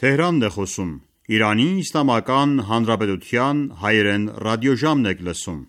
Թեհրանն է խոսում։ Իրանի Իսլամական Հանրապետության հայերեն ռադիոժամն եք լսում։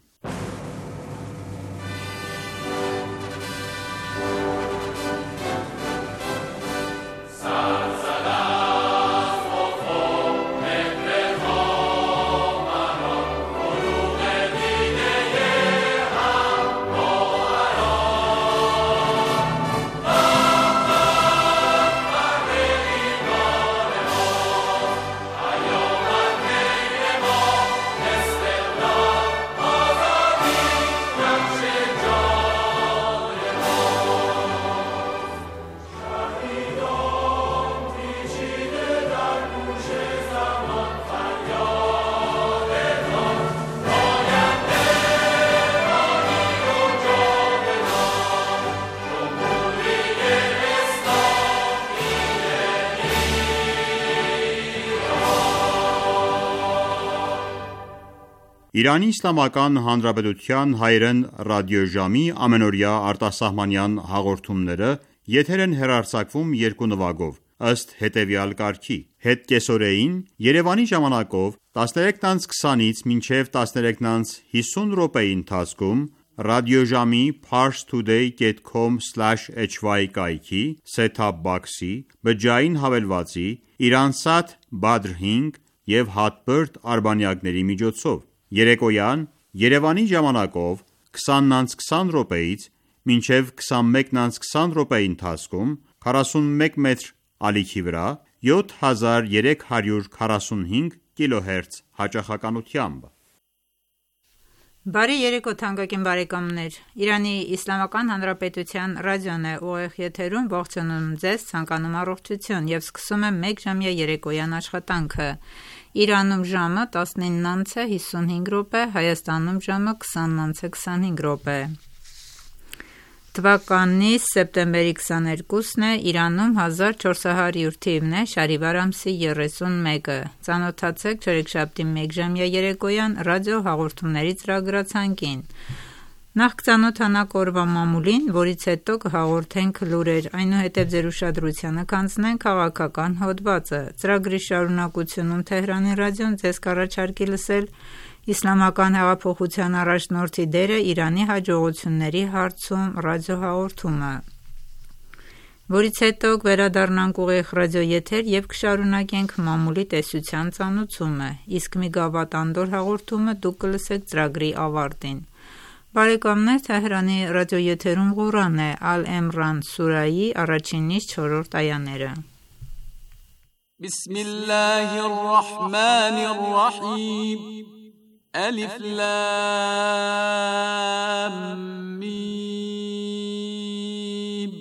Իրանի Իսլամական Հանրապետության հայերեն ռադիոժամի ամենօրյա արտասահմանյան հաղորդումները եթեր են հեռարձակվում երկու նվագով, ըստ հետևյալ կարգի. Հետկեսօրեին Երևանի ժամանակով 13:20-ից մինչև 13:50 րոպեի ընթացքում ռադիոժամի parstoday.com/hy կայքի set-top box-ի, բջջային հավելվածի, Iransat Badr 5 և Hotbird արբանյակների միջոցով, երեկոյան Երևանի ժամանակով 20:20 րոպեից մինչև 21:20 րոպեի ընթացքում 41 մետր ալիքի վրա 7345 կիլոհերց հաճախականությամբ։ Բարի երեկո թանկագին բարեկամներ, Իրանի Իսլամական Հանրապետության ռադիոն է ուղիղ եթերում, ողջունում ձեզ, ցանկանում առողջություն և սկսում եմ մեկ ժամյա երեկոյան աշխատանքը։ Իրանում ժամը 19:55 րոպե, Հայաստանում ժամը 20:25 րոպե։ Թվականի սեպտեմբերի 22-ն է, Իրանում 1400 թիվն է, շարիվար ամսի 31-ը։ Ծանոթացեք չորեքշաբթի մեկ ժամյա երեկոյան ռադիո հաղորդումների ծրագրացանկին։ Նախ կծանոթանանք օրվա մամուլին, որից հետո կհաղորդենք լուրեր, այնուհետև ձեր ուշադրությանը կանցնենք քաղաքական հոդվածը։ Ծրագրի շարունակությունում Թեհրանի ռադիոն ձեզ կառաջարկի լսել Իսլամական հեղափոխության առաջնորդի դերը Իրանի հաջողությունների հարցում ռադիոհաղորդումը, որից հետո կվերադառնանք ուղիղ ռադիոեթեր և կշարունակենք մամուլի տեսության ծանուցումը, իսկ մի գավաթ անդոր հաղորդումը դուք կլսեք ծրագրի ավարտին։ Բարեկամներ, Թեհրանի ռադիոեթերում Ղուրան է, Ալ-Էմրան սուրայի 1-ից 4-րդ այաները։ Բիսմիլլահիռռահմանիռռահիմ Ալիֆ լամ միմ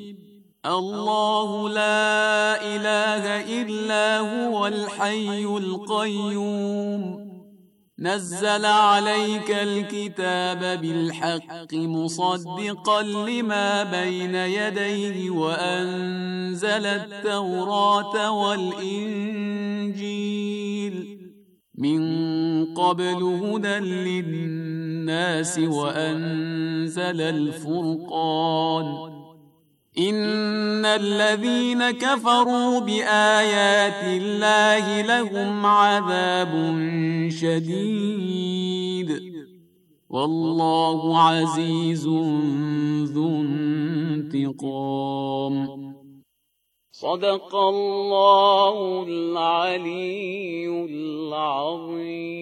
Ալլահու լա իլահա իլլա հուվալ հայյուլ կայյում نزل عليك الكتاب بالحق مصدقا لما بين يديه وأنزل التوراة والإنجيل من قبل هدى للناس وأنزل الفرقان إن الذين كفروا بآيات الله لهم عذاب شديد والله عزيز ذو انتقام صدق الله العلي العظيم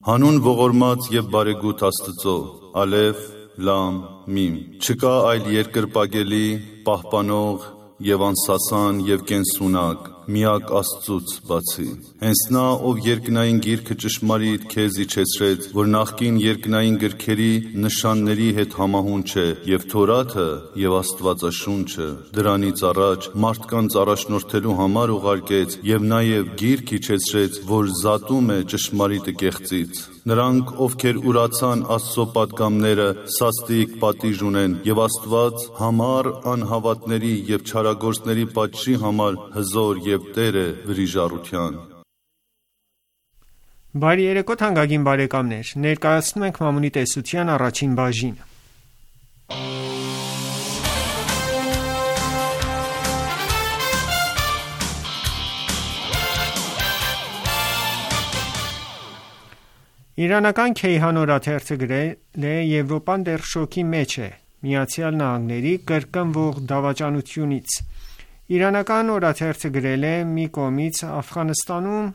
Հանուն ողորմած եւ բարեգութ Աստծո, Ալեֆ, Լամ, Միմ։ Չկա այլ երկրպագելի, պահպանող եւ անսասան եւ կենսունակ, միակ Աստծուց բացի։ Հենց նա, ով երկնային գիրքը ճշմարիտ քեզ իջեցրեց, որ նախկին երկնային գրքերի նշանների հետ համահուն չէ, եւ Թորաթը եւ Աստվածաշունչը դրանից առաջ մարդկանց առաջնորդելու համար ուղարկեց եւ նաեւ գիրք իջեցրեց, որ զատում է ճշմարիտը կեղծից։ Նրանք, ովքեր ուրացան Աստծո պատգամները, սաստիկ պատիժ ունեն, եւ Աստված համառ անհավատների եւ չարագործների պատժի համար հզոր եւ Տեր է վրիժառության։ Բարի երեկո թանկագին բարեկամներ, ներկայացնում ենք մամուլի տեսության առաջին բաժինը։ Իրանական Քեյհան օրաթերթը գրել է. Եվրոպան դեռ շոկի մեջ է ԱՄՆ-ի կրկնվող դավաճանությունից։ Իրանական օրաթերթը գրել է. մի կողմից Աֆղանստանում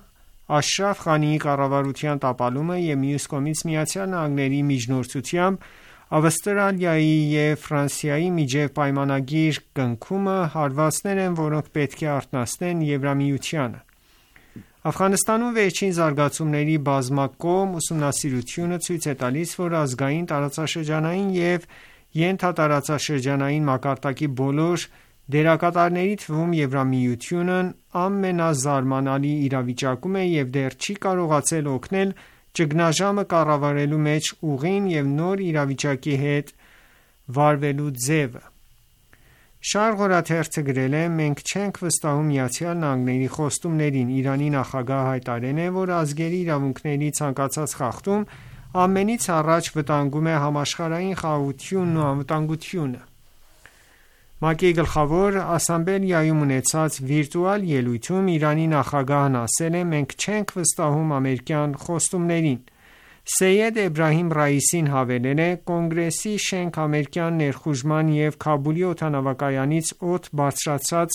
Աշրաֆ Ղանիի կառավարության տապալումը և մյուս կողմից ԱՄՆ-ի միջնորդությամբ Ավստրալիայի և Ֆրանսիայի միջև պայմանագիր կնքումը հարվածներ են, որոնք պետք է արթնացնեն Եվրամիությանը։ Աֆղանստանում վերջին զարգացումների բազմակողմ ուսումնասիրությունը ցույց է տալիս, որ ազգային, տարածաշրջանային և ենթատարածաշրջանային մակարդակի բոլոր դերակատարների թվում Եվրամիությունն ամենազարմանալի իրավիճակում է և դեռ չի կարողացել օգնել ճգնաժամը կառավարելու մեջ ուղին և նոր իրավիճակի հետ վարվելու ձևը։ Շարղ օրաթերթը գրել է. մենք չենք վստահում ԱՄՆ-ի խոստումներին։ Իրանի նախագահը հայտարարել է, որ ազգերի իրավունքների ցանկացած խախտում ամենից առաջ վտանգում է համաշխարհային խաղաղությունն ու անվտանգությունը։ ՄԱԿ-ի գլխավոր ասամբլեայում ունեցած վիրտուալ ելույթում Իրանի նախագահն ասել է. մենք չենք վստահում ամերիկյան խոստումներին։ Սեյեդ Էբրահիմ Ռայիսին հավելել է. կոնգրեսի շենք ամերիկյան ներխուժման և Քաբուլի օդանավակայանից օդ բարձրացրած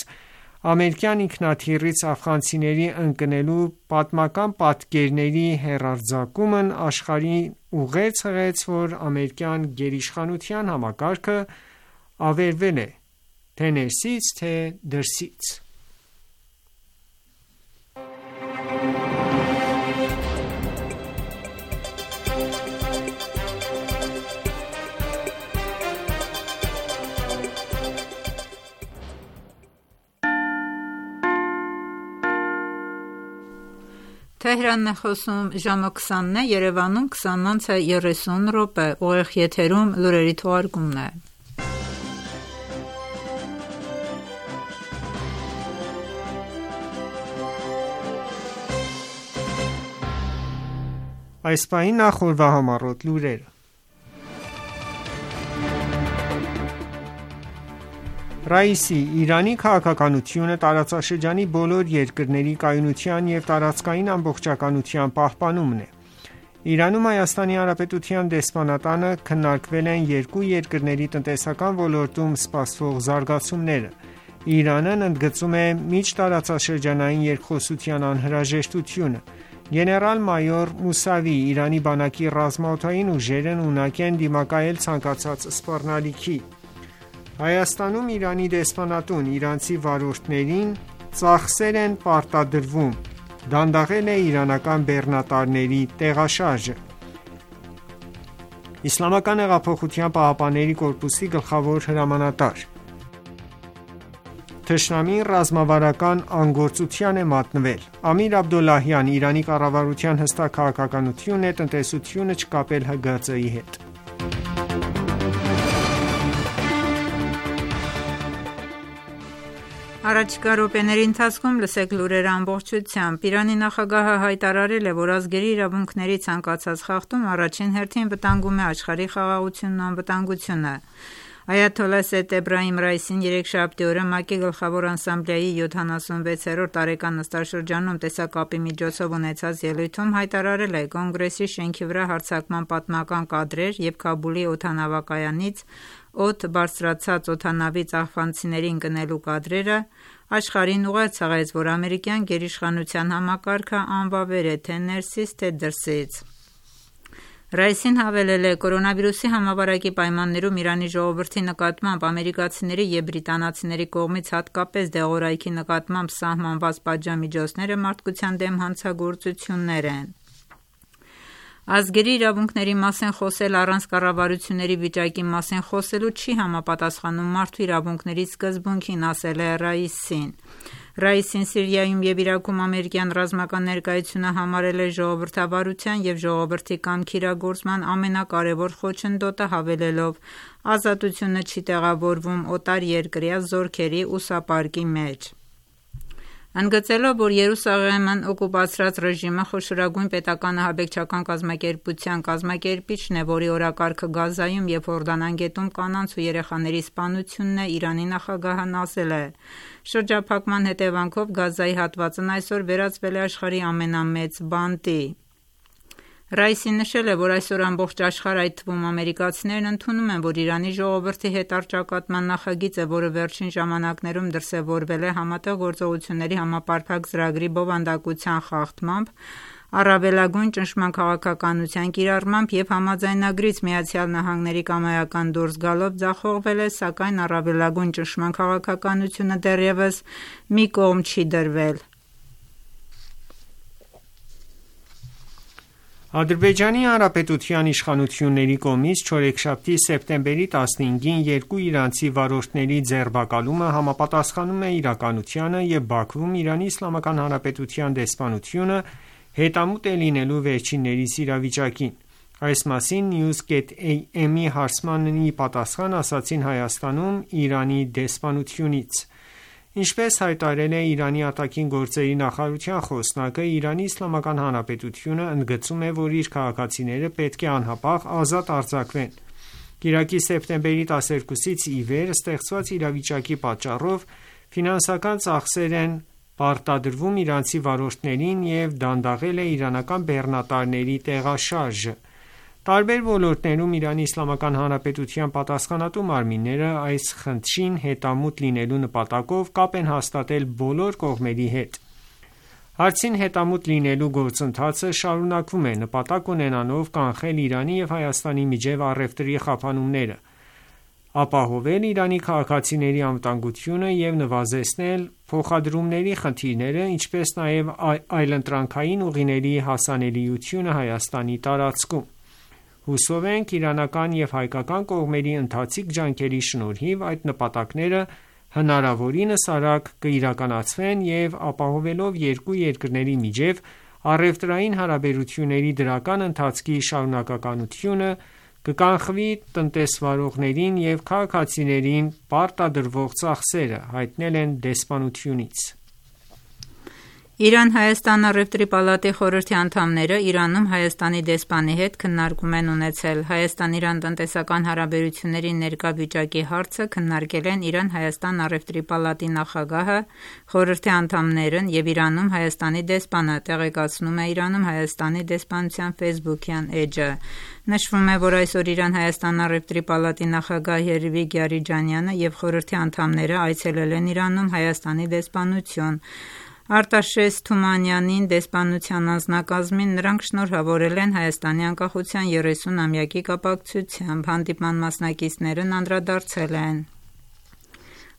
ամերիկյան ինքնաթիռից աֆղանցիների ընկնելու պատմական պատկերների հեռարձակումն աշխարհին ուղերձ հղեց, որ ամերիկյան գերիշխանության համակարգը ավերվել է թե ներսից, թե դրսից։ Թեհրանն է խոսում ժամը 20-ն է, Երևանում 20:30 ուղիղ եթերում լուրերի թողարկումն է։ Այս պահին նախ օրվա համառոտ լուրերը։ Ռայիսի Իրանի քաղաքականությունը տարածաշրջանի բոլոր երկրների կայունության և տարածքային ամբողջականության պահպանումն է։ Իրանում Հայաստանի Հանրապետության դեսպանատանը քննարկվել են երկու երկրների տնտեսական ոլորտում սպասվող զարգացումները։ Իրանն ընդգծում է միջտարածաշրջանային երկխոսության անհրաժեշտությունը։ Գեներալ-մայոր Մուսավի Իրանի բանակի ռազմաօդային ուժերն ունակ են դիմակայել ցանկացած սպառնալիքի։ Հայաստանում Իրանի դեսպանատուն իրանցի վարորդներին ծախսեր են պարտադրվում, դանդաղել է իրանական բեռնատարների տեղաշարժը։ Իսլամական հեղափոխության պահապանների կորպուսի գլխավոր հրամանատար թշնամին ռազմավարական անգործության է մատնվել։ Ամիր Աբդոլլահյան Իրանի կառավարության հստակ քաղաքականությունն է տնտեսությունը չկապել ՀԳԾ-ի հետ։ Առաջիկա րոպեների ընթացքում լսեք լուրերը ամբողջությամբ։ Իրանի նախագահը հայտարարել է, որ ազգերի իրավունքների ցանկացած խախտում առաջին հերթին վտանգում է աշխարհի խաղաղությունն ու անվտանգությունը։ Այաթոլլահ Սեյեդ Էբրահիմ Ռայիսին երեքշաբթի օրը ՄԱԿ-ի գլխավոր ասամբլեայի 76-րդ տարեկան նստաշրջանում տեսակապի միջոցով ունեցած ելույթում հայտարարել է. կոնգրեսի շենքի վրա հարձակման պատմական կադրեր և Քաբուլի օդանավակայանից օդ բարձրացած օդանավից աֆղանցիների ընկնելու կադրերը աշխարհին ուղերձ հղեց, որ ամերիկյան գերիշխանության համակարգը անվավեր է թե ներսից, թե դրսից։ Ռայիսին հավելել է. կորոնավիրուսի համավարակի պայմաններում Իրանի ժողովրդի նկատմամբ ամերիկացիների և բրիտանացիների կողմից հատկապես դեղորայքի նկատմամբ սահմանված պատժամիջոցները մարդկության դեմ հանցագործություններ են։ Ազգերի իրավունքների մասին խոսել առանց կառավարությունների վիճակի մասին խոսելու չի համապատասխանում մարդու իրավունքների սկզբունքին, ասել է Ռայիսին։ Ռայիսին Սիրիայում և Իրաքում ամերիկյան ռազմական ներկայությունը համարել է ժողովրդավարության և ժողովրդի կամքի իրագործման ամենակարևոր խոչընդոտը, հավելելով. ազատությունը չի տեղավորվում օտարերկրյա զորքերի ուսապարկի մեջ։ Ընդգծելով, որ Երուսաղեմն օկուպացրած ռեժիմը խոշորագույն պետական ահաբեկչական կազմակերպության կազմակերպիչն է, որի օրակարգը Գազայում և Հորդանանգետում կանանց ու երեխաների սպանությունն է, Իրանի նախագահն ասել է. շրջափակման հետևանքով Գազայի հատվածն այսօր վերածվել է աշխարհի ամենամեծ բանտի։ Ռայսին նշել է, որ այսօր ամբողջ աշխարհ, այդ թվում ամերիկացիներն ընդունում են, որ Իրանի ժողովրդի հետ առճակատման նախագիծը, որը վերջին ժամանակներում դրսևորվել է Համատեղ գործողությունների համապարփակ ծրագրի բովանդակության խախտմամբ, առավելագույն ճնշման քաղաքականության կիրառմամբ և համաձայնագրից ԱՄՆ-ի կամայական դուրս գալով ձախողվել է, սակայն առավելագույն ճնշման քաղաքականությունը դեռևս մի կողմ չի դրվել։ Ադրբեջանի Հանրապետության իշխանությունների կողմից չորեքշաբթի սեպտեմբերի 15-ին երկու իրանցի վարորդների ձերբակալումը համապատասխանում է իրականությանը և Բաքվում Իրանի Իսլամական Հանրապետության դեսպանությունը հետամուտ է լինելու վերջիններիս իրավիճակին։ Այս մասին News.am-ի հարցմանի պատասխան ասացին Հայաստանում Իրանի դեսպանությունից։ Ինչպես հայտարարել է Իրանի արտաքին գործերի նախարարության խոսնակը, Իրանի Իսլամական Հանրապետությունը ընդգծում է, որ իր քաղաքացիները պետք է անհապաղ ազատ արձակվեն։ Կիրակի սեպտեմբերի 12-ից ի վեր ստեղծված իրավիճակի պատճառով ֆինանսական ծախսեր են պարտադրվում իրանցի վարորդներին և դանդաղել է իրանական բեռնատարների տեղաշարժը։ Տարբեր ոլորտներում Իրանի Իսլամական Հանրապետության պատասխանատու մարմինները այս խնդրին հետամուտ լինելու նպատակով կապ են հաստատել բոլոր կողմերի հետ։ Հարցին հետամուտ լինելու գործընթացը շարունակվում է, նպատակ ունենալով կանխել Իրանի և Հայաստանի միջև առևտրի խափանումները, ապահովել Իրանի քաղաքացիների անվտանգությունը և նվազեցնել փոխադրումների խնդիրները, ինչպես նաև այլընտրանքային ուղիների հասանելիությունը Հայաստանի տարածքում։ Հուսով ենք իրանական և հայկական կողմերի ընթացիկ ջանքերի շնորհիվ այդ նպատակները հնարավորինս արագ կիրականացվեն և ապահովելով երկու երկրների միջև առևտրային հարաբերությունների դրական ընթացքի շարունակականությունը, կկանխվի տնտեսվարողներին և քաղաքացիներին պարտադրվող ծախսերը, հայտնել են դեսպանությունից։ Իրան-Հայաստան առևտրի պալատի խորհրդի անդամները Իրանում Հայաստանի դեսպանի հետ քննարկում են ունեցել։ Հայաստան-Իրան տնտեսական հարաբերությունների ներկա վիճակի հարցը քննարկել են Իրան-Հայաստան առևտրի պալատի նախագահը, խորհրդի անդամներն և Իրանում Հայաստանի դեսպանը, տեղեկացնում է Իրանում Հայաստանի դեսպանության ֆեյսբուքյան էջը։ Նշվում է, որ այսօր Իրան-Հայաստան առևտրի պալատի նախագահ Երվիկ Յարիջանյանը և խորհրդի անդամները այցելել են Իրանում Հայաստանի դեսպանություն։ Արտաշես Թումանյանին դեսպանության անձնակազմին նրանք շնորհավորել են Հայաստանի անկախության 30-ամյակի կապակցությամբ, հանդիպման մասնակիցներն անդրադարձել են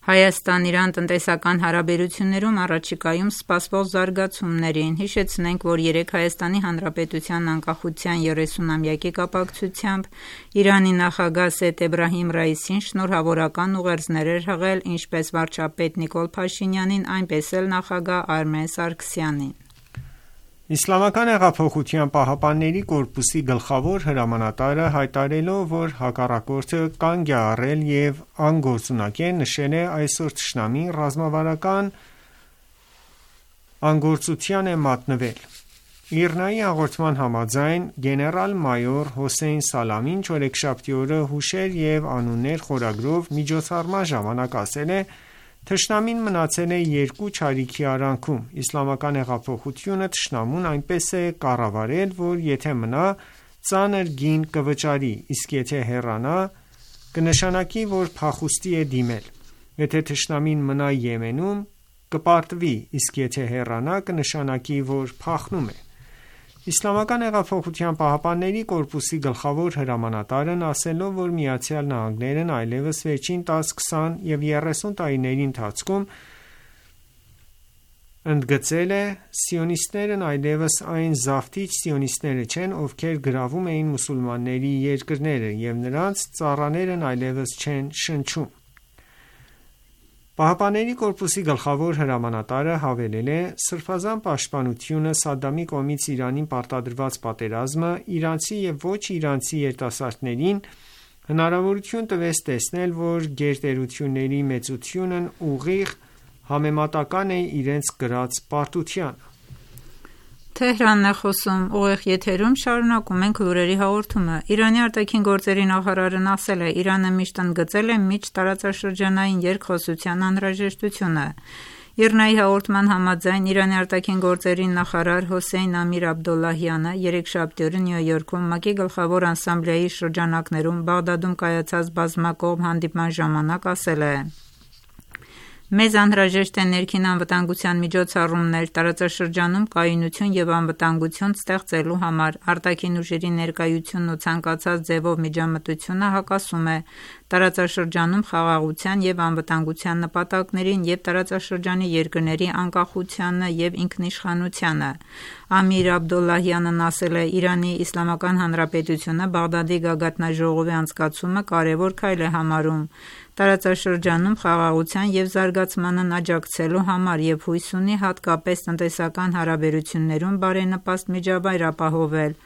Հայաստան-Իրան տնտեսական հարաբերություններում առաջիկայում սպասվող զարգացումներին։ Հիշեցնենք, որ երեկ Հայաստանի Հանրապետության անկախության 30-ամյակի կապակցությամբ Իրանի նախագահ Սեյեդ Էբրահիմ Ռայիսին շնորհավորական ուղերձներ էր հղել ինչպես վարչապետ Նիկոլ Փաշինյանին, այնպես էլ նախագահ Արմեն Սարգսյանին։ Իսլամական հեղափոխության պահապանների կորպուսի գլխավոր հրամանատարը հայտարարելով, որ հակառակորդը կանգ է առել և անգործունակ է, նշել է այսօր թշնամին ռազմավարական անգործության է մատնվել։ ԻՌՆԱ-ի հաղորդման համաձայն գեներալ-մայոր Հոսեյն Սալամին չորեքշաբթի օրը հուշեր և անուններ խորագրով միջոցառման ժամանակ ասել է. «Թշնամին մնացել է երկու չարիքի արանքում։ Իսլամական հեղափոխությունը թշնամուն այնպես է կառավարել, որ եթե մնա, ծանր գին կվճարի, իսկ եթե հեռանա, կնշանակի, որ փախուստի է դիմել։ Եթե թշնամին մնա Եմենում, կպարտվի, իսկ եթե հեռանա, կնշանակի, որ փախնում է»։ Իսլամական հեղափոխության պահապանների կորպուսի գլխավոր հրամանատարն ասելով, որ ԱՄՆ-ն այլևս վերջին 10, 20 և 30 տարիների ընթացքում ընդգծել է. «Սիոնիստներն այլևս այն զավթիչ սիոնիստները չեն, ովքեր գրավում էին մուսուլմանների երկրները, և նրանց ծառաներն այլևս չեն շնչում»։ ԻՀՊԿ-ի գլխավոր հրամանատարը հավելել է. «Սրբազան պաշտպանությունը, Սադամի կողմից Իրանին պարտադրված պատերազմը իրանցի և ոչ իրանցի երիտասարդներին հնարավորություն տվեց տեսնել, որ գերտերությունների մեծությունն ուղիղ համեմատական է իրենց կրած պարտությանը»։ Իրանի արտաքին գործերի նախարարն ասել է. «Իրանը միշտ ընդգծել է միջտարածաշրջանային երկխոսության անհրաժեշտությունը։ ԻՌՆԱ-ի հաղորդման համաձայն Իրանի արտաքին գործերի նախարար Հոսեյն Ամիր Աբդոլլահյանը երեքշաբթի օրը Նյու Յորքում ՄԱԿ-ի գլխավոր ասամբլեայի շրջանակներում Բաղդադում կայացած բազմակողմ հանդիպման ժամանակ ասել է. «Մեզ անհրաժեշտ է ներքին անվտանգության միջոցառումներ տարածաշրջանում կայունություն և անվտանգություն ստեղծելու համար։ Արտաքին ուժերի ներկայությունն ու ցանկացած ձևով միջամտությունը հակասում է տարածաշրջանում խաղաղության և անվտանգության նպատակներին և տարածաշրջանի երկրների անկախությանն և ինքնիշխանությանը»։ Ամիր Աբդոլլահյանն ասել է. «Իրանի Իսլամական Հանրապետությունը Բաղդադի գագաթնաժողովի անցկացումը կարևոր քայլ է համարում տարածաշրջանում խաղաղության և զարգացմանն աջակցելու համար և հույս ունի հատկապես տնտեսական հարաբերություններում բարենպաստ միջավայր ապահովել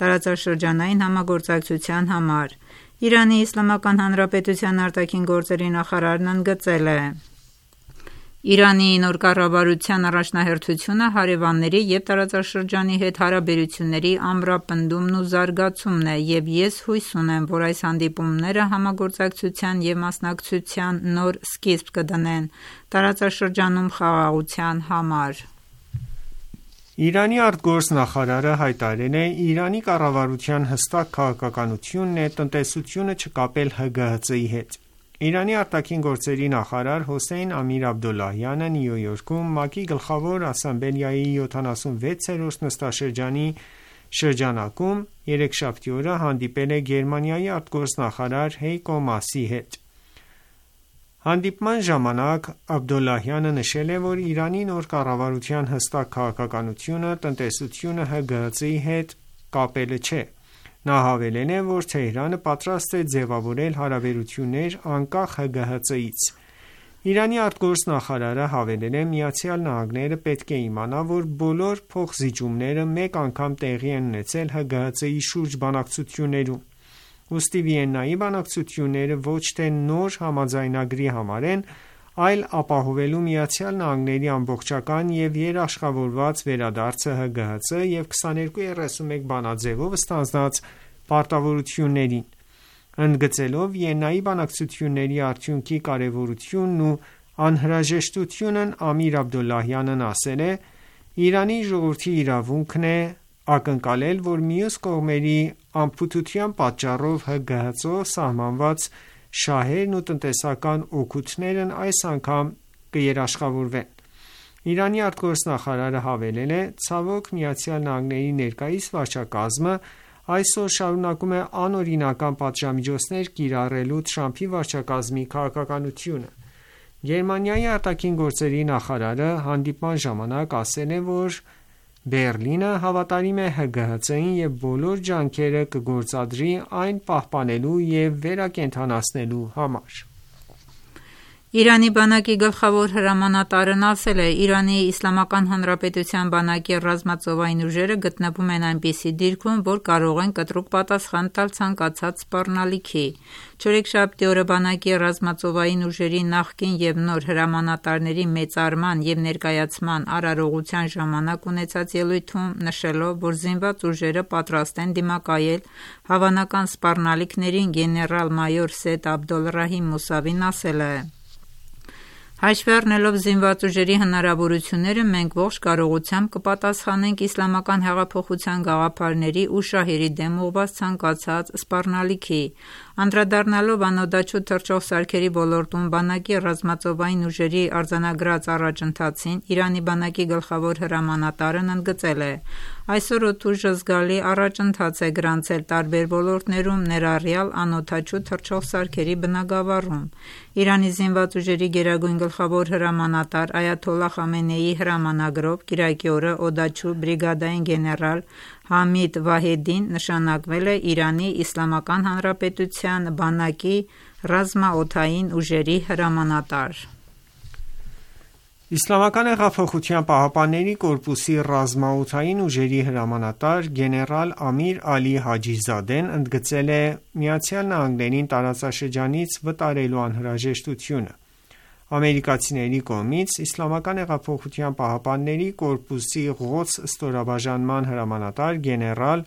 տարածաշրջանային համագործակցության համար»։ Իրանի Իսլամական Հանրապետության արտաքին գործերի նախարարն ընդգծել է. «Իրանի նոր կառավարության առաջնահերթությունը հարևանների և տարածաշրջանի հետ հարաբերությունների ամրապնդումն ու զարգացումն է և ես հույս ունեմ, որ այս հանդիպումները համագործակցության և մասնակցության նոր սկիզբ կդնեն տարածաշրջանում խաղաղության համար»։ Իրանի արտգործնախարարը հայտարարել է. «Իրանի կառավարության հստակ քաղաքականությունն է տնտեսությունը չկապել ՀԳՀԾ-ի հետ»։ Իրանի արտաքին գործերի նախարար Հոսեյն Ամիր Աբդոլլահյանը Նյու Յորքում ՄԱԿ-ի գլխավոր ասամբլեայի 76-րդ նստաշրջանի շրջանակում երեքշաբթի օրը հանդիպել է Գերմանիայի արտգործնախարար Հեյկո Մասի հետ։ Հանդիպման ժամանակ Աբդոլլահյանը նշել է, որ Իրանի նոր կառավարության հստակ քաղաքականությունը տնտեսությունը ՀԳՀԾ-ի հետ կապելը չէ։ Նա հավելել է, որ Թեհրանը պատրաստ է ձևավորել հարաբերություններ անկախ ՀԳՀԾ-ից։ Իրանի արտգործնախարարը հավելել է. «ԱՄՆ-ը պետք է իմանա, որ բոլոր փոխզիջումները մեկ անգամ տեղի են ունեցել ՀԳՀԾ-ի շուրջ բանակցություններում։ Ուստի Վիեննայի բանակցությունները ոչ թե նոր համաձայնագրի համար են, այլ ապահովելու ԱՄՆ-ի ամբողջական և երաշխավորված վերադարձը ՀԳՀԾ և 2231 բանաձևով ստանձնած պարտավորություններին»։ Ընդգծելով Վիեննայի բանակցությունների արդյունքի կարևորությունն ու անհրաժեշտությունն Ամիր Աբդոլլահյանն ասել է. «Իրանի ժողովրդի իրավունքն է ակնկալել, որ մյուս կողմերի անփութության պատճառով ՀԳՀԾ-ով սահմանված շահերն ու տնտեսական օգուտներն այս անգամ կերաշխավորվեն»։ Իրանի արտգործնախարարը հավելել է. «Ցավոք, ԱՄՆ-ի ներկայիս վարչակազմը այսօր շարունակում է անօրինական պատժամիջոցներ կիրառելու Թրամփի վարչակազմի քաղաքականությունը»։ Գերմանիայի արտաքին գործերի նախարարը հանդիպման ժամանակ ասել է, որ Բեռլինը հավատարիմ է ՀԳՀԾ-ին և բոլոր ջանքերը կգործադրի այն պահպանելու և վերակենդանացնելու համար։ Իրանի բանակի գլխավոր հրամանատարն ասել է. «Իրանի Իսլամական Հանրապետության բանակի ռազմածովային ուժերը գտնվում են այնպիսի դիրքում, որ կարող են կտրուկ պատասխան տալ ցանկացած սպառնալիքի»։ Չորեքշաբթի օրը բանակի ռազմածովային ուժերի նախկին և նոր հրամանատարների մեծարման և ներկայացման արարողության ժամանակ ունեցած ելույթում նշելով, որ զինված ուժերը պատրաստ են դիմակայել հավանական սպառնալիքներին, գեներալ-մայոր Սեյեդ Աբդոլռահիմ Մուսավին ասել է. «Հաշվի առնելով զինված ուժերի հնարավորությունները, մենք ողջ կարողությամբ կպատասխանենք իսլամական հեղափոխության գաղափարների ու շահերի դեմ ուղղված ցանկացած սպառնալիքի»։ Անդրադառնալով անօդաչու թռչող սարքերի ոլորտում բանակի ռազմածովային ուժերի արձանագրած առաջընթացին, Իրանի բանակի գլխավոր հրամանատարն ընդգծել է. «Այսօր օդուժը զգալի առաջընթաց է գրանցել տարբեր ոլորտներում, ներառյալ անօդաչու թռչող սարքերի բնագավառում»։ Իրանի զինված ուժերի գերագույն գլխավոր հրամանատար Այաթոլլահ Խամենեիի հրամանագրով կիրակի օրը օդաչու բրիգադային գեներալ Համիդ Վահեդին նշանակվել է Իրանի Իսլամական Հանրապետության բանակի ռազմաօդային ուժերի հրամանատար։ ԻՀՊԿ-ի ռազմաօդային ուժերի հրամանատար գեներալ Ամիր Ալի Հաջիզադեն ընդգծել է ԱՄՆ-ին տարածաշրջանից վտարելու անհրաժեշտությունը։ Ամերիկացիների կողմից ԻՀՊԿ-ի Ղոդս ստորաբաժանման հրամանատար գեներալ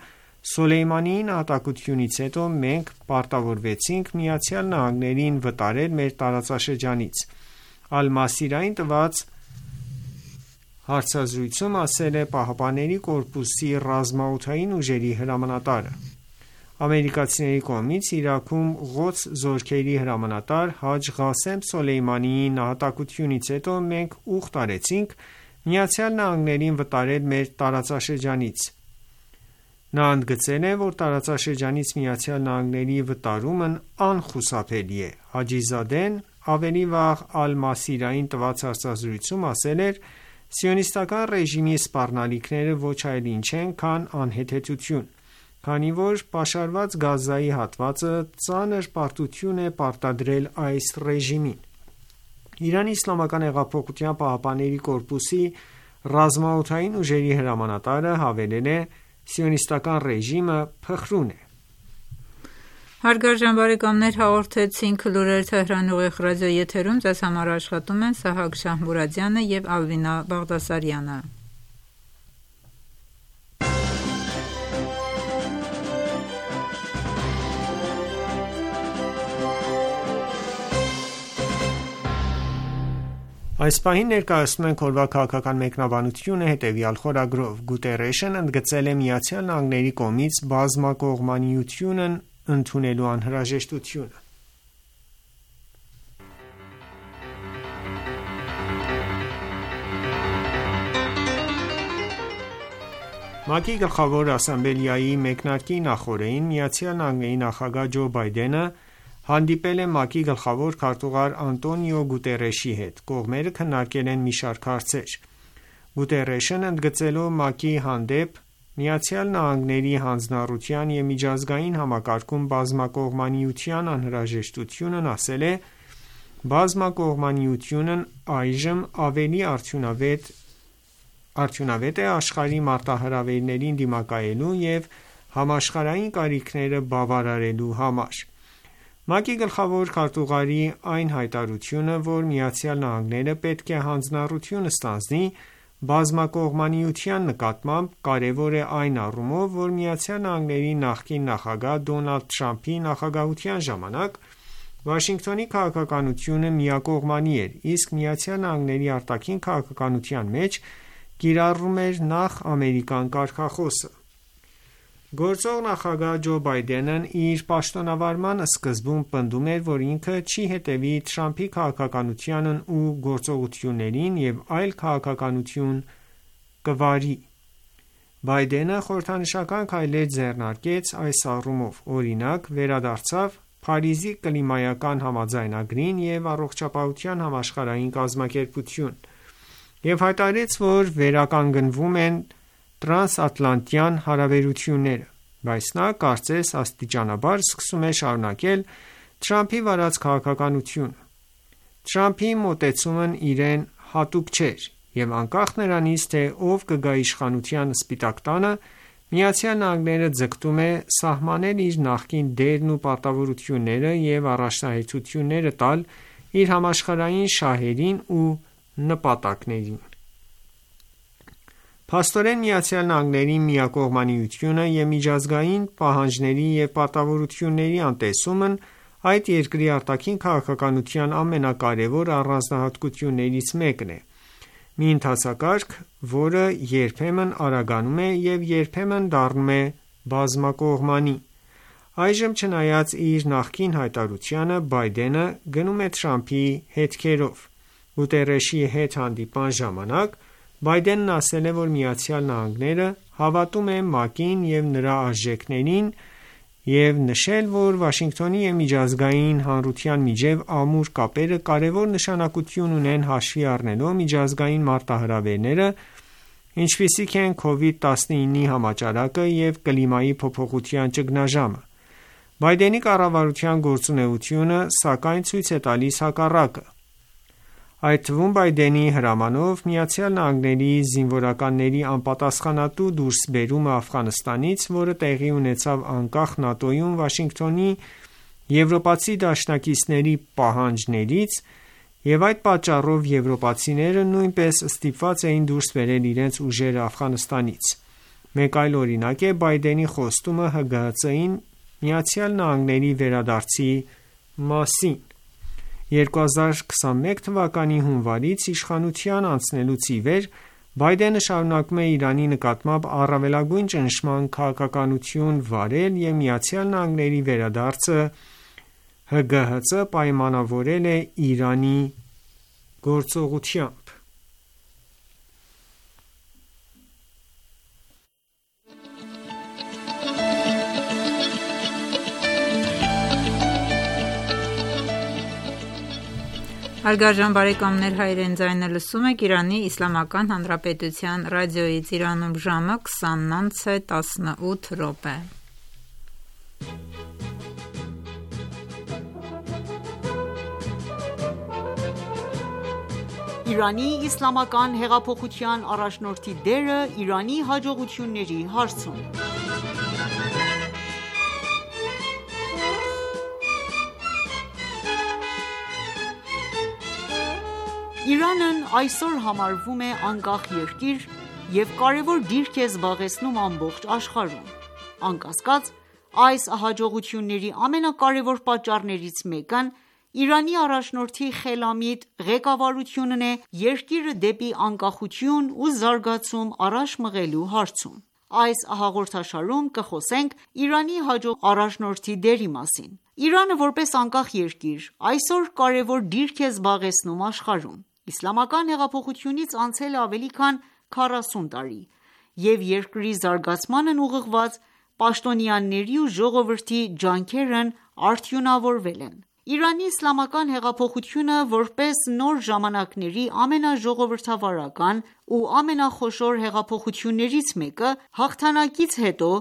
Սոլեյմանիի նահատակությունից հետո մենք պարտավորվեցինք ԱՄՆ-ին վտարել մեր տարածաշրջանից։ Ալ-Մասիրային տված Հարցազրույցում ասել է ԻՀՊԿ-ի ռազմաօդային ուժերի հրամանատարը։ Ամերիկացիների կողմից Իրաքում Ղոդս զորքերի հրամանատար Հաջ Ղասեմ Սոլեյմանիի նահատակությունից հետո մենք ուխտ արեցինք ԱՄՆ-ին վտարել մեր տարածաշրջանից։ Նա ընդգծել է, որ տարածաշրջանից ԱՄՆ-ի վտարումն անխուսափելի է։ Հաջիզադեն ավելի վաղ Ալ-Մասիրային տված հարցազրույցում ասել էր. «Սիոնիստական ռեժիմի սպառնալիքները ոչ այլ ինչ են, քան անհեթեթություն, քանի որ պաշարված Գազայի հատվածը ծանր պարտություն է պարտադրել այս ռեժիմին»։ ԻԻՀ-ի ռազմաօդային ուժերի հրամանատարը հավելել է. «Սիոնիստական ռեժիմը փխրուն է»։ Հարգարժան բարեկամներ, հաղորդեցինք լուրեր Թեհրան ուղիղ ռադիոեթերում, ձեզ համար աշխատում են Սահակ Շահմուրադյանը և Ալվինա Բաղդասարյանը։ Այս պահին ներկայացնում ենք օրվա քաղաքական մեկնաբանությունը հետևյալ խորագրով. Գուտերեշն ընդգծել է ԱՄՆ-ի կողմից բազմակողմանիությունն ընդունելու անհրաժեշտությունը։ ՄԱԿ-ի Գլխավոր ասամբլեայի մեկնարկի նախօրեին ԱՄՆ նախագահ Ջո Բայդենը հանդիպել է ՄԱԿ-ի գլխավոր քարտուղար Անտոնիո Գուտերեշի հետ։ Կողմերը քննարկել են մի շարք հարցեր։ Գուտերեշն ընդգծելով ՄԱԿ-ի հանդեպ ԱՄՆ-ի հանձնառության և միջազգային համակարգում բազմակողմանիության անհրաժեշտությունն ասել է. «Բազմակողմանիությունն այժմ ավելի արդյունավետ է աշխարհի մարտահրավերներին դիմակայելու և համաշխարհային կարիքները բավարարելու համար»։ ՄԱԿ-ի գլխավոր քարտուղարի այն հայտարարությունը, որ ԱՄՆ-ն պետք է հանձնառություն ստանձնի բազմակողմանիության նկատմամբ, կարևոր է այն առումով, որ ԱՄՆ-ի նախկին նախագահ Դոնալդ Թրամփի նախագահության ժամանակ Վաշինգտոնի քաղաքականությունը միակողմանի էր, իսկ ԱՄՆ-ի արտաքին քաղաքականության մեջ կիրառվում էր նախ ամերիկյան կարգախոսը։ Գործող նախագահ Ջո Բայդենն իր պաշտոնավարման սկզբում պնդում էր, որ ինքը չի հետևի Թրամփի քաղաքականությանն ու գործողություններին և այլ քաղաքականություն կվարի։ Բայդենը խորհրդանշական քայլեր ձեռնարկեց այս առումով, օրինակ, վերադարձավ Փարիզի կլիմայական համաձայնագրին և Առողջապահության համաշխարհային կազմակերպություն և հայտարարեց, որ վերականգնվում են տրանսատլանտյան հարաբերությունները, բայց նա կարծես աստիճանաբար սկսում է շարունակել Թրամփի վարած քաղաքականությունը։ Թրամփի մոտեցումն իրեն հատուկ չէր, և անկախ նրանից, թե ով կգա իշխանության սպիտակ տանը, ԱՄՆ-ն ձգտում է սահմանել իր նախկին դերն ու պարտավորությունները և առաջնահերթությունները տալ իր համաշխարհային շահերին ու նպատակներին։ Փաստորեն ԱՄՆ-ի միակողմանիությունը և միջազգային պահանջների և պարտավորությունների անտեսումն այդ երկրի արտաքին քաղաքականության ամենակարևոր առանձնահատկություններից մեկն է։ Մի ընթացակարգ, որը երբեմն արագանում է և երբեմն դառնում է բազմակողմանի։ Այժմ, չնայած իր նախկին հայտարարությանը, Բայդենը գնում է Թրամփի հետքերով։ Գուտերեշի հետ հանդիպման ժամանակ Բայդենն ասել է, որ ԱՄՆ-ն հավատում է ՄԱԿ-ին և նրա արժեքներին և նշել, որ Վաշինգտոնի և միջազգային հանրության միջև ամուր կապերը կարևոր նշանակություն ունեն հաշվի առնելով միջազգային մարտահրավերները, ինչպիսիք են COVID-19-ի համաճարակը և կլիմայի փոփոխության ճգնաժամը։ Բայդենի կառավարության գործունեությունը, սակայն, ցույց է տալիս հակառակը։ Այդ թվում Բայդենի հրամանով ԱՄՆ զինվորականների անպատասխանատու դուրսբերումը Աֆղանստանից, որը տեղի ունեցավ անկախ ՆԱՏՕ-ում Վաշինգտոնի եվրոպացի դաշնակիցների պահանջներից, և այդ պատճառով եվրոպացիները նույնպես ստիպված էին դուրս բերել իրենց ուժերը Աֆղանստանից։ Մեկ այլ օրինակ է Բայդենի խոստումը ՀԳՀԾ-ին ԱՄՆ վերադարձի մասին։ 2021 թվականի հունվարից իշխանության անցնելուց ի վեր Բայդենը շարունակում է Իրանի նկատմամբ առավելագույն ճնշման քաղաքականություն վարել և ԱՄՆ-ի վերադարձը ՀԳՀԾ պայմանավորել է Իրանի գործողությամբ։ Հարգարժան բարեկամներ, Հայրեն ձայնը լսում եք Իրանի Իսլամական Հանրապետության ռադիոյից։ Իրանում ժամը 20:18։ Իրանի Իսլամական հեղափոխության առաջնորդի դերը Իրանի հաջողությունների հարցում։ Իրանն այսօր համարվում է անկախ երկիր և կարևոր դիրք է զբաղեցնում ամբողջ աշխարհում։ Անկասկած, այս հաջողությունների ամենակարևոր պատճառներից մեկն Իրանի առաջնորդի խելամիտ ղեկավարությունն է երկիրը դեպի անկախություն ու զարգացում առաջ մղելու հարցում։ Այս հաղորդաշարում կխոսենք Իրանի հաջող առաջնորդի դերի մասին։ Իրանը որպես անկախ երկիր այսօր կարևոր դիրք է զբաղեցնում աշխարհում։ Իսլամական հեղափոխությունից անցել է ավելի քան 40 տարի, և երկրի զարգացմանն ուղղված պաշտոնյաների ու ժողովրդի ջանքերն արդյունավորվել են։ Իրանի իսլամական հեղափոխությունը որպես նոր ժամանակների ամենաժողովրդավարական ու ամենախոշոր հեղափոխություններից մեկը, հաղթանակից հետո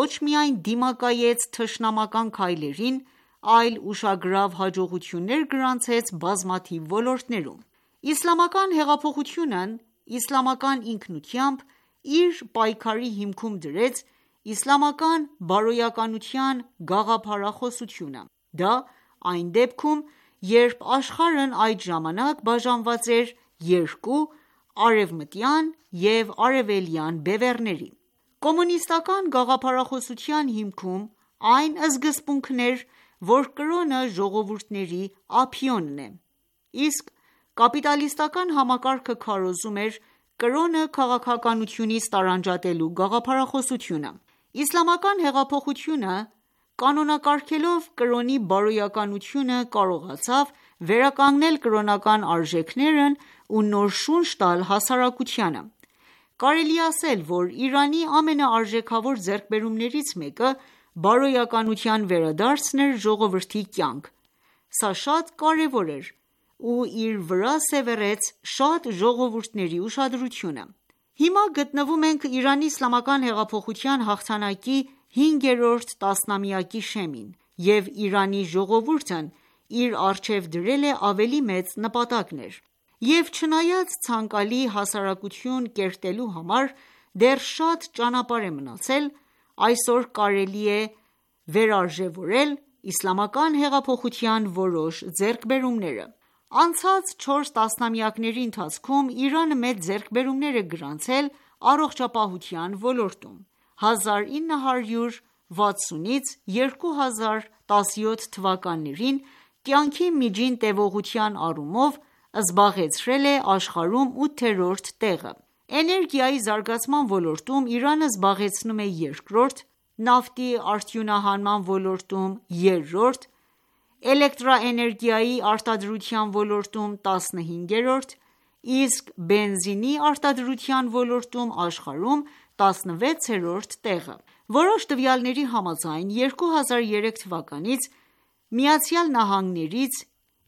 ոչ միայն դիմակայեց թշնամական քայլերին, այլ ուշագրավ հաջողություններ գրանցեց բազմաթիվ ոլորտներում։ Իսլամական հեղափոխությունն իսլամական ինքնությամբ իր պայքարի հիմքում դրեց իսլամական բարոյականության գաղափարախոսությունը։ Դա այն դեպքում, երբ աշխարհն այդ ժամանակ բաժանված էր երկու արևմտյան և արևելյան բևեռների։ Կոմունիստական գաղափարախոսության հիմքում այն սկզբունքն էր, որ կրոնը ժողովուրդների ափիոնն է, իսկ կապիտալիստական համակարգը քարոզում էր կրոնը քաղաքականությունից տարանջատելու գաղափարախոսությունը։ Իսլամական հեղափոխությունը կանոնակարգելով կրոնի բարոյականությունը կարողացավ վերականգնել կրոնական արժեքներն ու նոր շունչ տալ հասարակությանը։ Կարելի է ասել, որ Իրանի ամենաարժեքավոր ձեռքբերումներից մեկը բարոյականության վերադարձն էր ժողովրդի կյանք։ Սա շատ կարևոր էր ու իր վրա սևեռեց շատ ժողովուրդների ուշադրությունը։ Հիմա գտնվում ենք Իրանի իսլամական հեղափոխության հաղթանակի 5-րդ տասնամյակի շեմին, և Իրանի ժողովուրդն իր առջև դրել է ավելի մեծ նպատակներ։ Եվ չնայած ցանկալի հասարակություն կերտելու համար դեռ շատ ճանապարհ է մնացել, այսօր կարելի է վերարժևորել իսլամական հեղափոխության որոշ ձեռքբերումները։ Անցած 4 տասնամյակների ընթացքում Իրանը մեծ ձեռքբերումներ է գրանցել առողջապահության ոլորտում։ 1960-ից 2017 թվականներին կյանքի միջին տևողության առումով զբաղեցրել է աշխարհում 8-րդ տեղը։ Էներգիայի զարգացման ոլորտում Իրանը զբաղեցնում է 2-րդ, նավթի արդյունահանման ոլորտում 3-րդ, էլեկտրաէներգիայի արտադրության ոլորտում 15-րդ, իսկ բենզինի արտադրության ոլորտում աշխարհում 16-րդ տեղը։ Որոշ տվյալների համաձայն 2003 թվականից ԱՄՆ-ից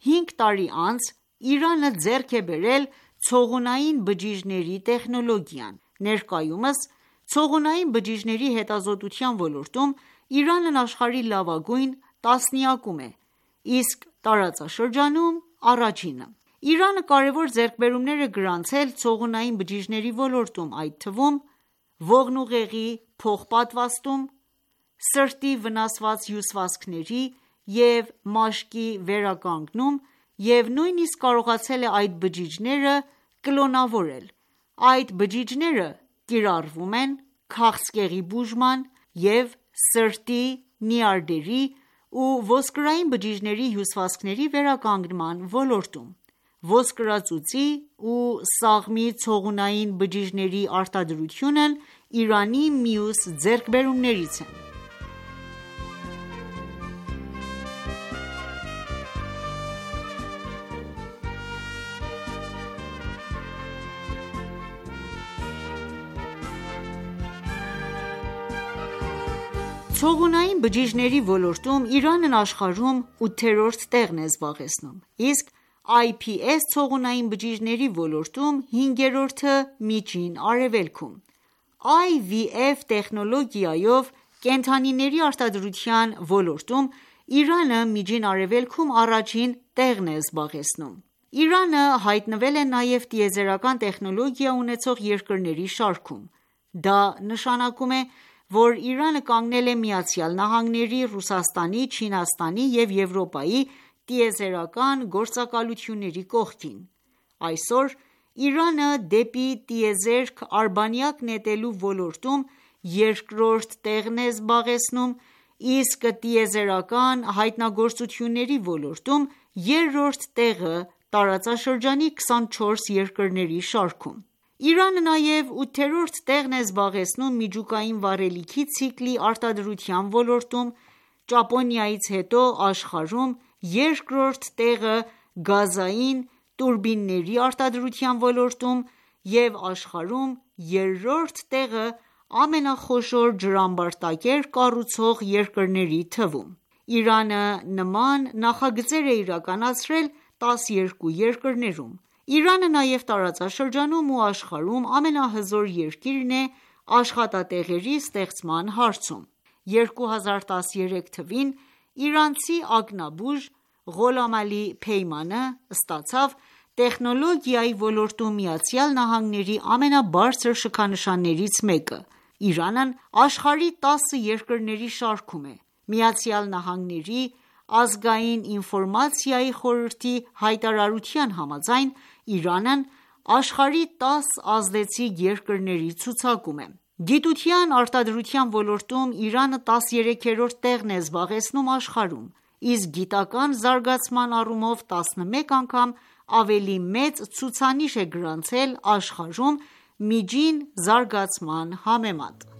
5 տարի անց Իրանը ձեռք է բերել ցողունային բջիջների տեխնոլոգիան։ Ներկայումս ցողունային բջիջների հետազոտության ոլորտում Իրանն աշխարհի լավագույն տասնյակում է, իսկ տարածաշրջանում առաջինը։ Իրանը կարևոր ձեռքբերումներ է գրանցել ցողունային բջիջների ոլորտում, այդ թվում ողնուղեղի փոխպատվաստում, սրտի վնասված հյուսվածքների և մաշկի վերականգնում և նույնիսկ կարողացել է այդ բջիջները կլոնավորել։ Այդ բջիջները կիրառվում են քաղցկեղի բուժման և սրտի, նյարդերի ու ոսկրային բջիջների հյուսվածքների վերականգնման ոլորտում։ ոսկրածուծի ու սաղմի ցողունային բջիջների արտադրությունն Իրանի մյուս ձեռքբերումներից են։ Ցողունային բջիջների ոլորտում Իրանն աշխարհում 8-րդ տեղն է զբաղեցնում, իսկ IPS ցողունային բջիջների ոլորտում 5-րդը Միջին Արևելքում։ IVF տեխնոլոգիայով կենդանիների արտադրության ոլորտում Իրանը Միջին Արևելքում առաջին տեղն է զբաղեցնում։ Իրանը հայտնվել է նաև տիեզերական տեխնոլոգիա ունեցող երկրների շարքում։ Դա նշանակում է, որ Իրանը կանգնել է ԱՄՆ-ի, Ռուսաստանի, Չինաստանի և Եվրոպայի տիեզերական գործակալությունների կողքին։ Այսօր Իրանը դեպի տիեզերք արբանյակ նետելու ոլորտում երկրորդ տեղն է զբաղեցնում, իսկ տիեզերական հայտնագործությունների ոլորտում երրորդ տեղը տարածաշրջանի 24 երկրների շարքում։ Իրանը նաև 8-րդ տեղն է զբաղեցնում միջուկային վառելիքի ցիկլի արտադրության ոլորտում, Ճապոնիայից հետո աշխարհում երկրորդ տեղը գազային տուրբինների արտադրության ոլորտում և աշխարհում երրորդ տեղը ամենախոշոր ջրամբարտակեր կառուցող երկրների թվում։ Իրանը նման նախագծեր է իրականացրել 12 երկրներում։ Իրանը նաև տարածաշրջանում ու աշխարհում ամենահզոր երկիրն է աշխատատեղերի ստեղծման հարցում։ 2013 թվին իրանցի ակնաբուժ Ղոլամ Ալի Փեյմանը ստացավ տեխնոլոգիայի ոլորտում ԱՄՆ-ի ամենաբարձր շքանշաններից մեկը։ Իրանն աշխարհի 10 երկրների շարքում է։ ԱՄՆ-ի ազգային ինֆորմացիայի խորհրդի հայտարարության համաձայն Իրանն աշխարհի 10 ազդեցիկ երկրների ցուցակում է։ Գիտության արտադրության ոլորտում Իրանը 13-րդ տեղն է զբաղեցնում աշխարհում, իսկ գիտական զարգացման առումով 11 անգամ ավելի մեծ ցուցանիշ է գրանցել աշխարհում միջին զարգացման համեմատ։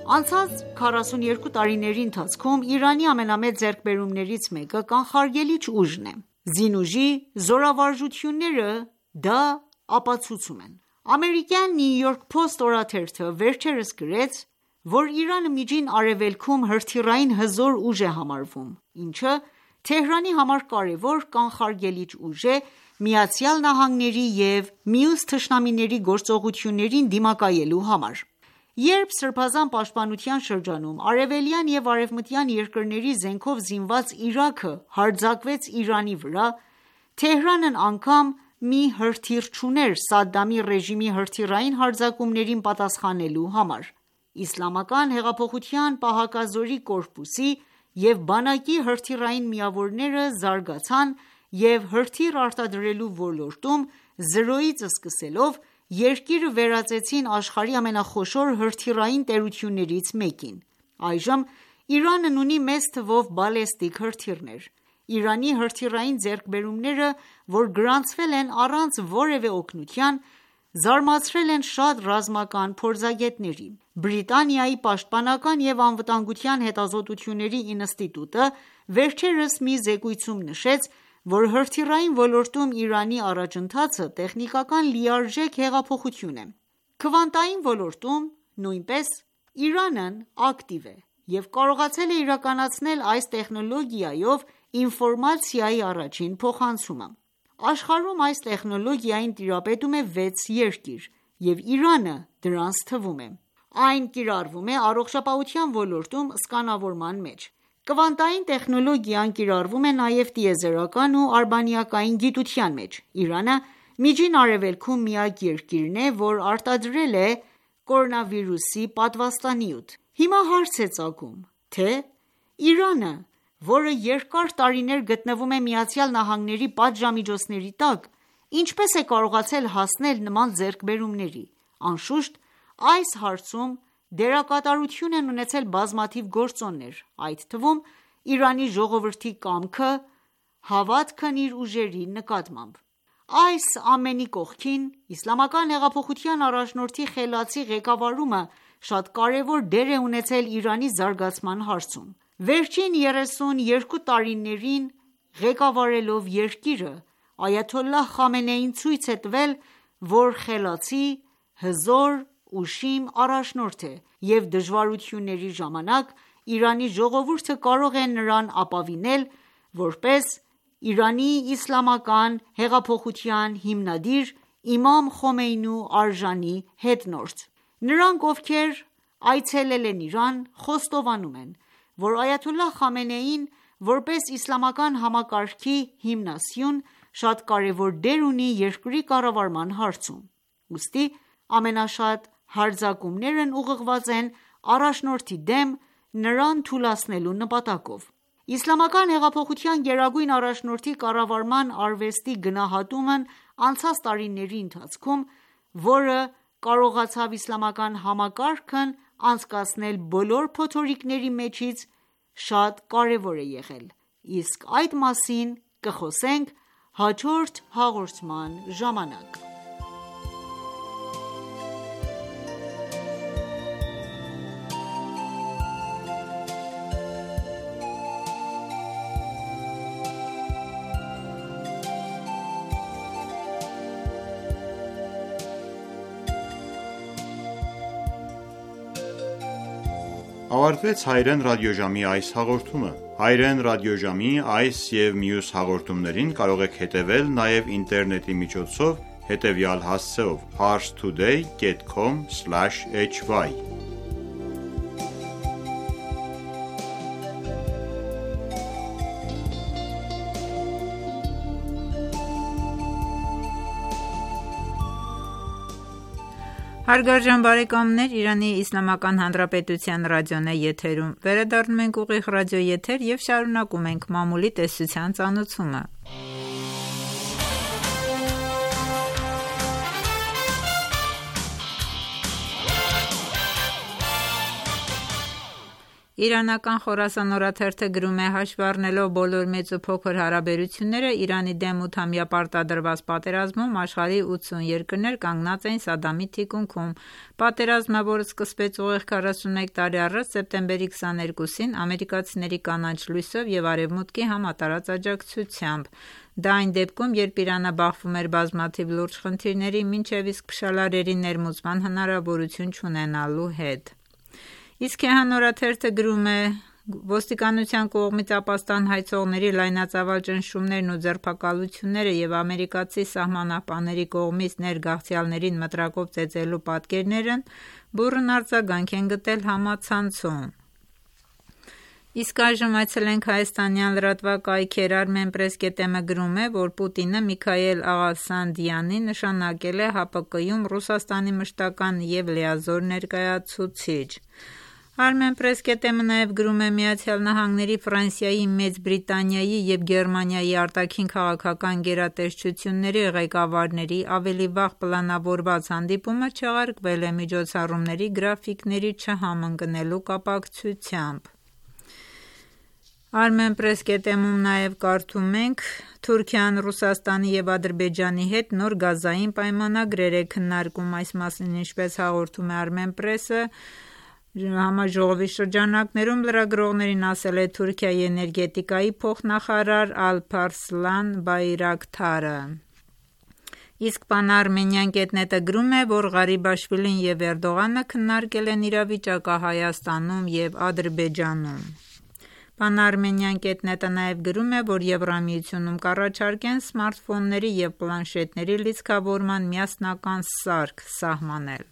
Անցած 42 տարիների ընթացքում Իրանի ամենամեծ ձեռքբերումներից մեկը կանխարգելիչ ուժն է։ Զինուժի զորավարժությունները դա ապացուցում են։ Ամերիկյան New York Post օրաթերթը վերջերս գրեց, որ Իրանը Միջին Արևելքում հրթիռային հզոր ուժ է համարվում, ինչը Թեհրանի համար կարևոր կանխարգելիչ ուժ է ԱՄՆ-ի և մյուս թշնամիների գործողություններին դիմակայելու համար։ Երբ Սրբազան պաշտպանության շրջանում արևելյան և արևմտյան երկրների զենքով զինված Իրաքը հարձակվեց Իրանի վրա, Թեհրանն անգամ մի հրթիռ չուներ Սադամի ռեժիմի հրթիռային հարձակումներին պատասխանելու համար։ Իսլամական հեղափոխության պահակազորի կորպուսի և բանակի հրթիռային միավորները զարգացան և հրթիռ արտադրելու ոլորտում զրոյից սկսելով երկիրը վերածեցին աշխարհի ամենախոշոր հրթիռային տերություններից մեկին։ Այժմ Իրանն ունի մեծ թվով բալեստիկ հրթիռներ։ Իրանի հրթիռային ձեռքբերումները, որ գրանցվել են առանց որևէ օգնության, զարմացրել են շատ ռազմական փորձագետների։ Բրիտանիայի պաշտպանական և անվտանգության հետազոտությունների ինստիտուտը վերջերս մի զեկույցում նշեց, որ հրթիռային ոլորտում Իրանի առաջընթացը տեխնիկական լիարժեք հեղափոխություն է։ Քվանտային ոլորտում նույնպես Իրանն ակտիվ է և կարողացել է իրականացնել այս տեխնոլոգիայով ինֆորմացիայի առաջին փոխանցումը։ Աշխարհում այս տեխնոլոգիային տիրապետում է 6 երկիր, և Իրանը դրանց թվում է։ Այն կիրառվում է առողջապահության ոլորտում սկանավորման մեջ։ Կվանտային տեխնոլոգիան կիրառվում է նաև տիեզերական ու արբանյակային գիտության մեջ։ Իրանը Միջին Արևելքում միակ երկիրն է, որ արտադրել է կորոնավիրուսի պատվաստանյութ։ Հիմա հարց է ծագում, թե Իրանը, որը երկար տարիներ գտնվում է ԱՄՆ-ի պատժամիջոցների տակ, ինչպես է կարողացել հասնել նման ձեռքբերումների։ Անշուշտ, այս հարցում դերակատարություն են ունեցել բազմաթիվ գործոններ, այդ թվում Իրանի ժողովրդի կամքը, հավատքն իր ուժերի նկատմամբ։ Այս ամենի կողքին, Իսլամական հեղափոխության առաջնորդի խելացի ղեկավարումը շատ կարևոր դեր է ունեցել Իրանի զարգացման հարցում։ Վերջին 32 տարիներին ղեկավարելով երկիրը, Այաթոլլահ Խամենեին ցույց է տվել, որ խելացի, հզոր, ուշիմ առաջնորդ է և դժվարությունների ժամանակ Իրանի ժողովուրդը կարող է նրան ապավինել, որպես Իրանի իսլամական հեղափոխության հիմնադիր Իմամ Խոմեյնու արժանի հետնորդ։ Նրանք, ովքեր այցելել են Իրան, խոստովանում են, որ Այաթոլլահ Խամենեին, որպես իսլամական համակարգի հիմնասյուն, շատ կարևոր դեր ունի երկրի կառավարման հարցում։ Ուստի ամենաշատ հարձակումներն ուղղված են առաջնորդի դեմ նրան թուլացնելու նպատակով։ Իսլամական հեղափոխության գերագույն առաջնորդի կառավարման արվեստի գնահատումն անցած տարիների ընթացքում, որը կարողացավ իսլամական համակարգն անցկացնել բոլոր փոթորիկների միջից, շատ կարևոր է եղել, իսկ այդ մասին կխոսենք հաջորդ հաղորդման ժամանակ։ Ավարտվեց Հայրեն ռադիոժամի այս հաղորդումը։ Հայրեն ռադիոժամի այս և մյուս հաղորդումներին կարող եք հետևել նաև ինտերնետի միջոցով հետևյալ հասցեով՝ parstoday.com/hy Հարգարժան բարեկամներ, Իրանի Իսլամական Հանրապետության ռադիոն է եթերում։ Վերադառնում ենք ուղիղ ռադիոեթեր և շարունակում ենք մամուլի տեսության ծանոթումը։ Իրանական Խորասան օրաթերթը գրում է, հաշվի առնելով բոլոր մեծ ու փոքր հարաբերությունները, Իրանի դեմ 8-ամյա պարտադրված պատերազմում աշխարհի 80 երկրներ կանգնած էին Սադամի թիկունքում։ Պատերազմը, որը սկսվեց ուղիղ 41 տարի առաջ, սեպտեմբերի 22-ին, ամերիկացիների կանաչ լույսով և Արևմուտքի համատարած աջակցությամբ։ Դա այն դեպքում, երբ Իրանը բախվում էր բազմաթիվ լուրջ խնդիրների, մինչև իսկ փշալարերի ներմուծման հնարավորություն չունենալու հետ։ Իսկ Քեհան օրաթերթը գրում է. ոստիկանության կողմից ապաստան հայցողների լայնածավալ ճնշումներն ու ձերբակալությունները և ամերիկացի սահմանապահների կողմից ներգաղթյալներին մտրակով ծեծելու պատկերներն բուռն արձագանք են գտել համացանցում։ Իսկ այժմ այցելենք հայաստանյան լրատվակայքեր։ Armenpress.am-ը գրում է, որ Պուտինը Միքայել Աղասանդյանին նշանակել է ՀԱՊԿ-ում Ռուսաստանի մշտական և լիազոր ներկայացուցիչ։ Armenpress.am-ը նաև գրում է, Միացյալ Նահանգների, Ֆրանսիայի, Մեծ Բրիտանիայի և Գերմանիայի արտաքին քաղաքական գերատեսչությունների ղեկավարների ավելի վաղ պլանավորված հանդիպումը չեղարկվել է միջոցառումների գրաֆիկների չհամընկնելու կապակցությամբ։ Armenpress.am-ում նաև կարդում ենք. Թուրքիան Ռուսաստանի և Ադրբեջանի հետ նոր գազային պայմանագրեր է քննարկում։ Այս մասին, ինչպես հաղորդում է Armenpress-ը, համաժողովի շրջանակներում լրագրողներին ասել է Թուրքիայի էներգետիկայի փոխնախարար Ալփարսլան Բայրակթարը։ Իսկ Pan-Armenian.net-ը գրում է, որ Ղարիբաշվիլին և Էրդողանը քննարկել են իրավիճակը Հայաստանում և Ադրբեջանում։ Pan-Armenian.net-ը նաև գրում է, որ Եվրամիությունում կառաջարկեն սմարթֆոնների և պլանշետների լիցքավորման միասնական սարք սահմանել։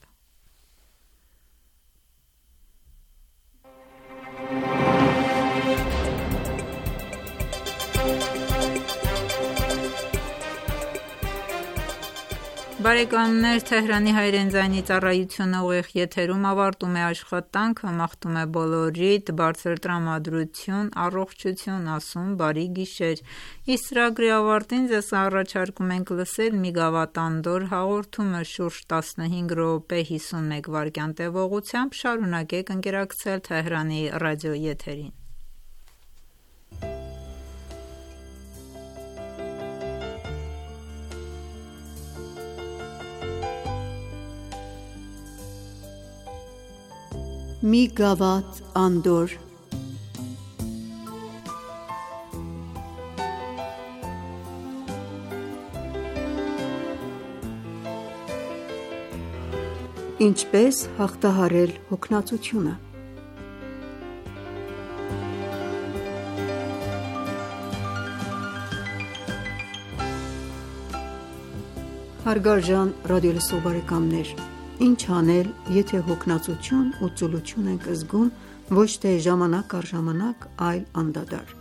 Բարեկամներ, Թեհրանի հայրեն ձայնի ծառայությունը ուղիղ եթերում ավարտում է աշխատանքը, մաղթում է բոլորիդ բարձր տրամադրություն, առողջություն, ասում բարի գիշեր։ Իսկ ծրագրի ավարտին ձեզ առաջարկում ենք լսել մի գավաթանդոր հաղորդումը շուրջ 15 րոպե 51 վայրկյան տևողությամբ։ Շարունակեք ընկերակցել Թեհրանի ռադիոեթերին։ Մի գավաթ անդոր։ Ինչպես հաղթահարել հոգնածությունը։ Հարգարժան ռադիոլսող բարեկամներ, ինչ անել, եթե հոգնածություն ու ծուլություն ենք զգում ոչ թե ժամանակ առ ժամանակ, այլ անդադար։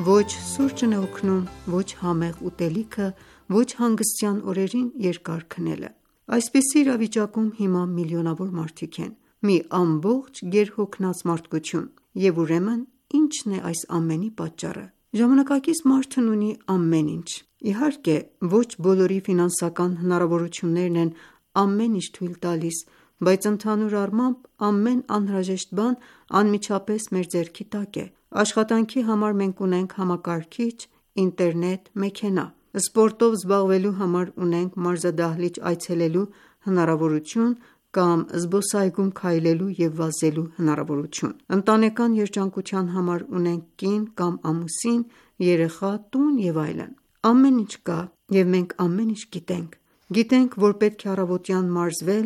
Ոչ սուրճն է օգնում, ոչ համեղ ուտելիքը, ոչ հանգստյան օրերին երկար քնելը։ Այսպիսի իրավիճակում հիմա միլիոնավոր մարդիկ են, մի ամբողջ գերհոգնած մարդկություն, և ուրեմն ի՞նչն է այս ամենի պատճառը։ Ժամանակակից մարդն ունի ամեն ինչ։ Իհարկե, ոչ բոլորի ֆինանսական հնարավորություններն են ամեն ինչ թույլ տալիս, բայց ընդհանուր առմամբ ամեն անհրաժեշտ բան անմիջապես մեր ձեռքի տակ է։ Աշխատանքի համար մենք ունենք համակարգիչ, ինտերնետ, մեքենա։ Սպորտով զբաղվելու համար ունենք մարզադահլիճ այցելելու հնարավորություն կամ զբոսայգում քայլելու և վազելու հնարավորություն։ Ընտանեկան երջանկության համար ունենք կին կամ ամուսին, երեխա, տուն և այլն։ Ամեն ինչ կա, և մենք ամեն ինչ գիտենք։ Գիտենք, որ պետք է առավոտյան մարզվել,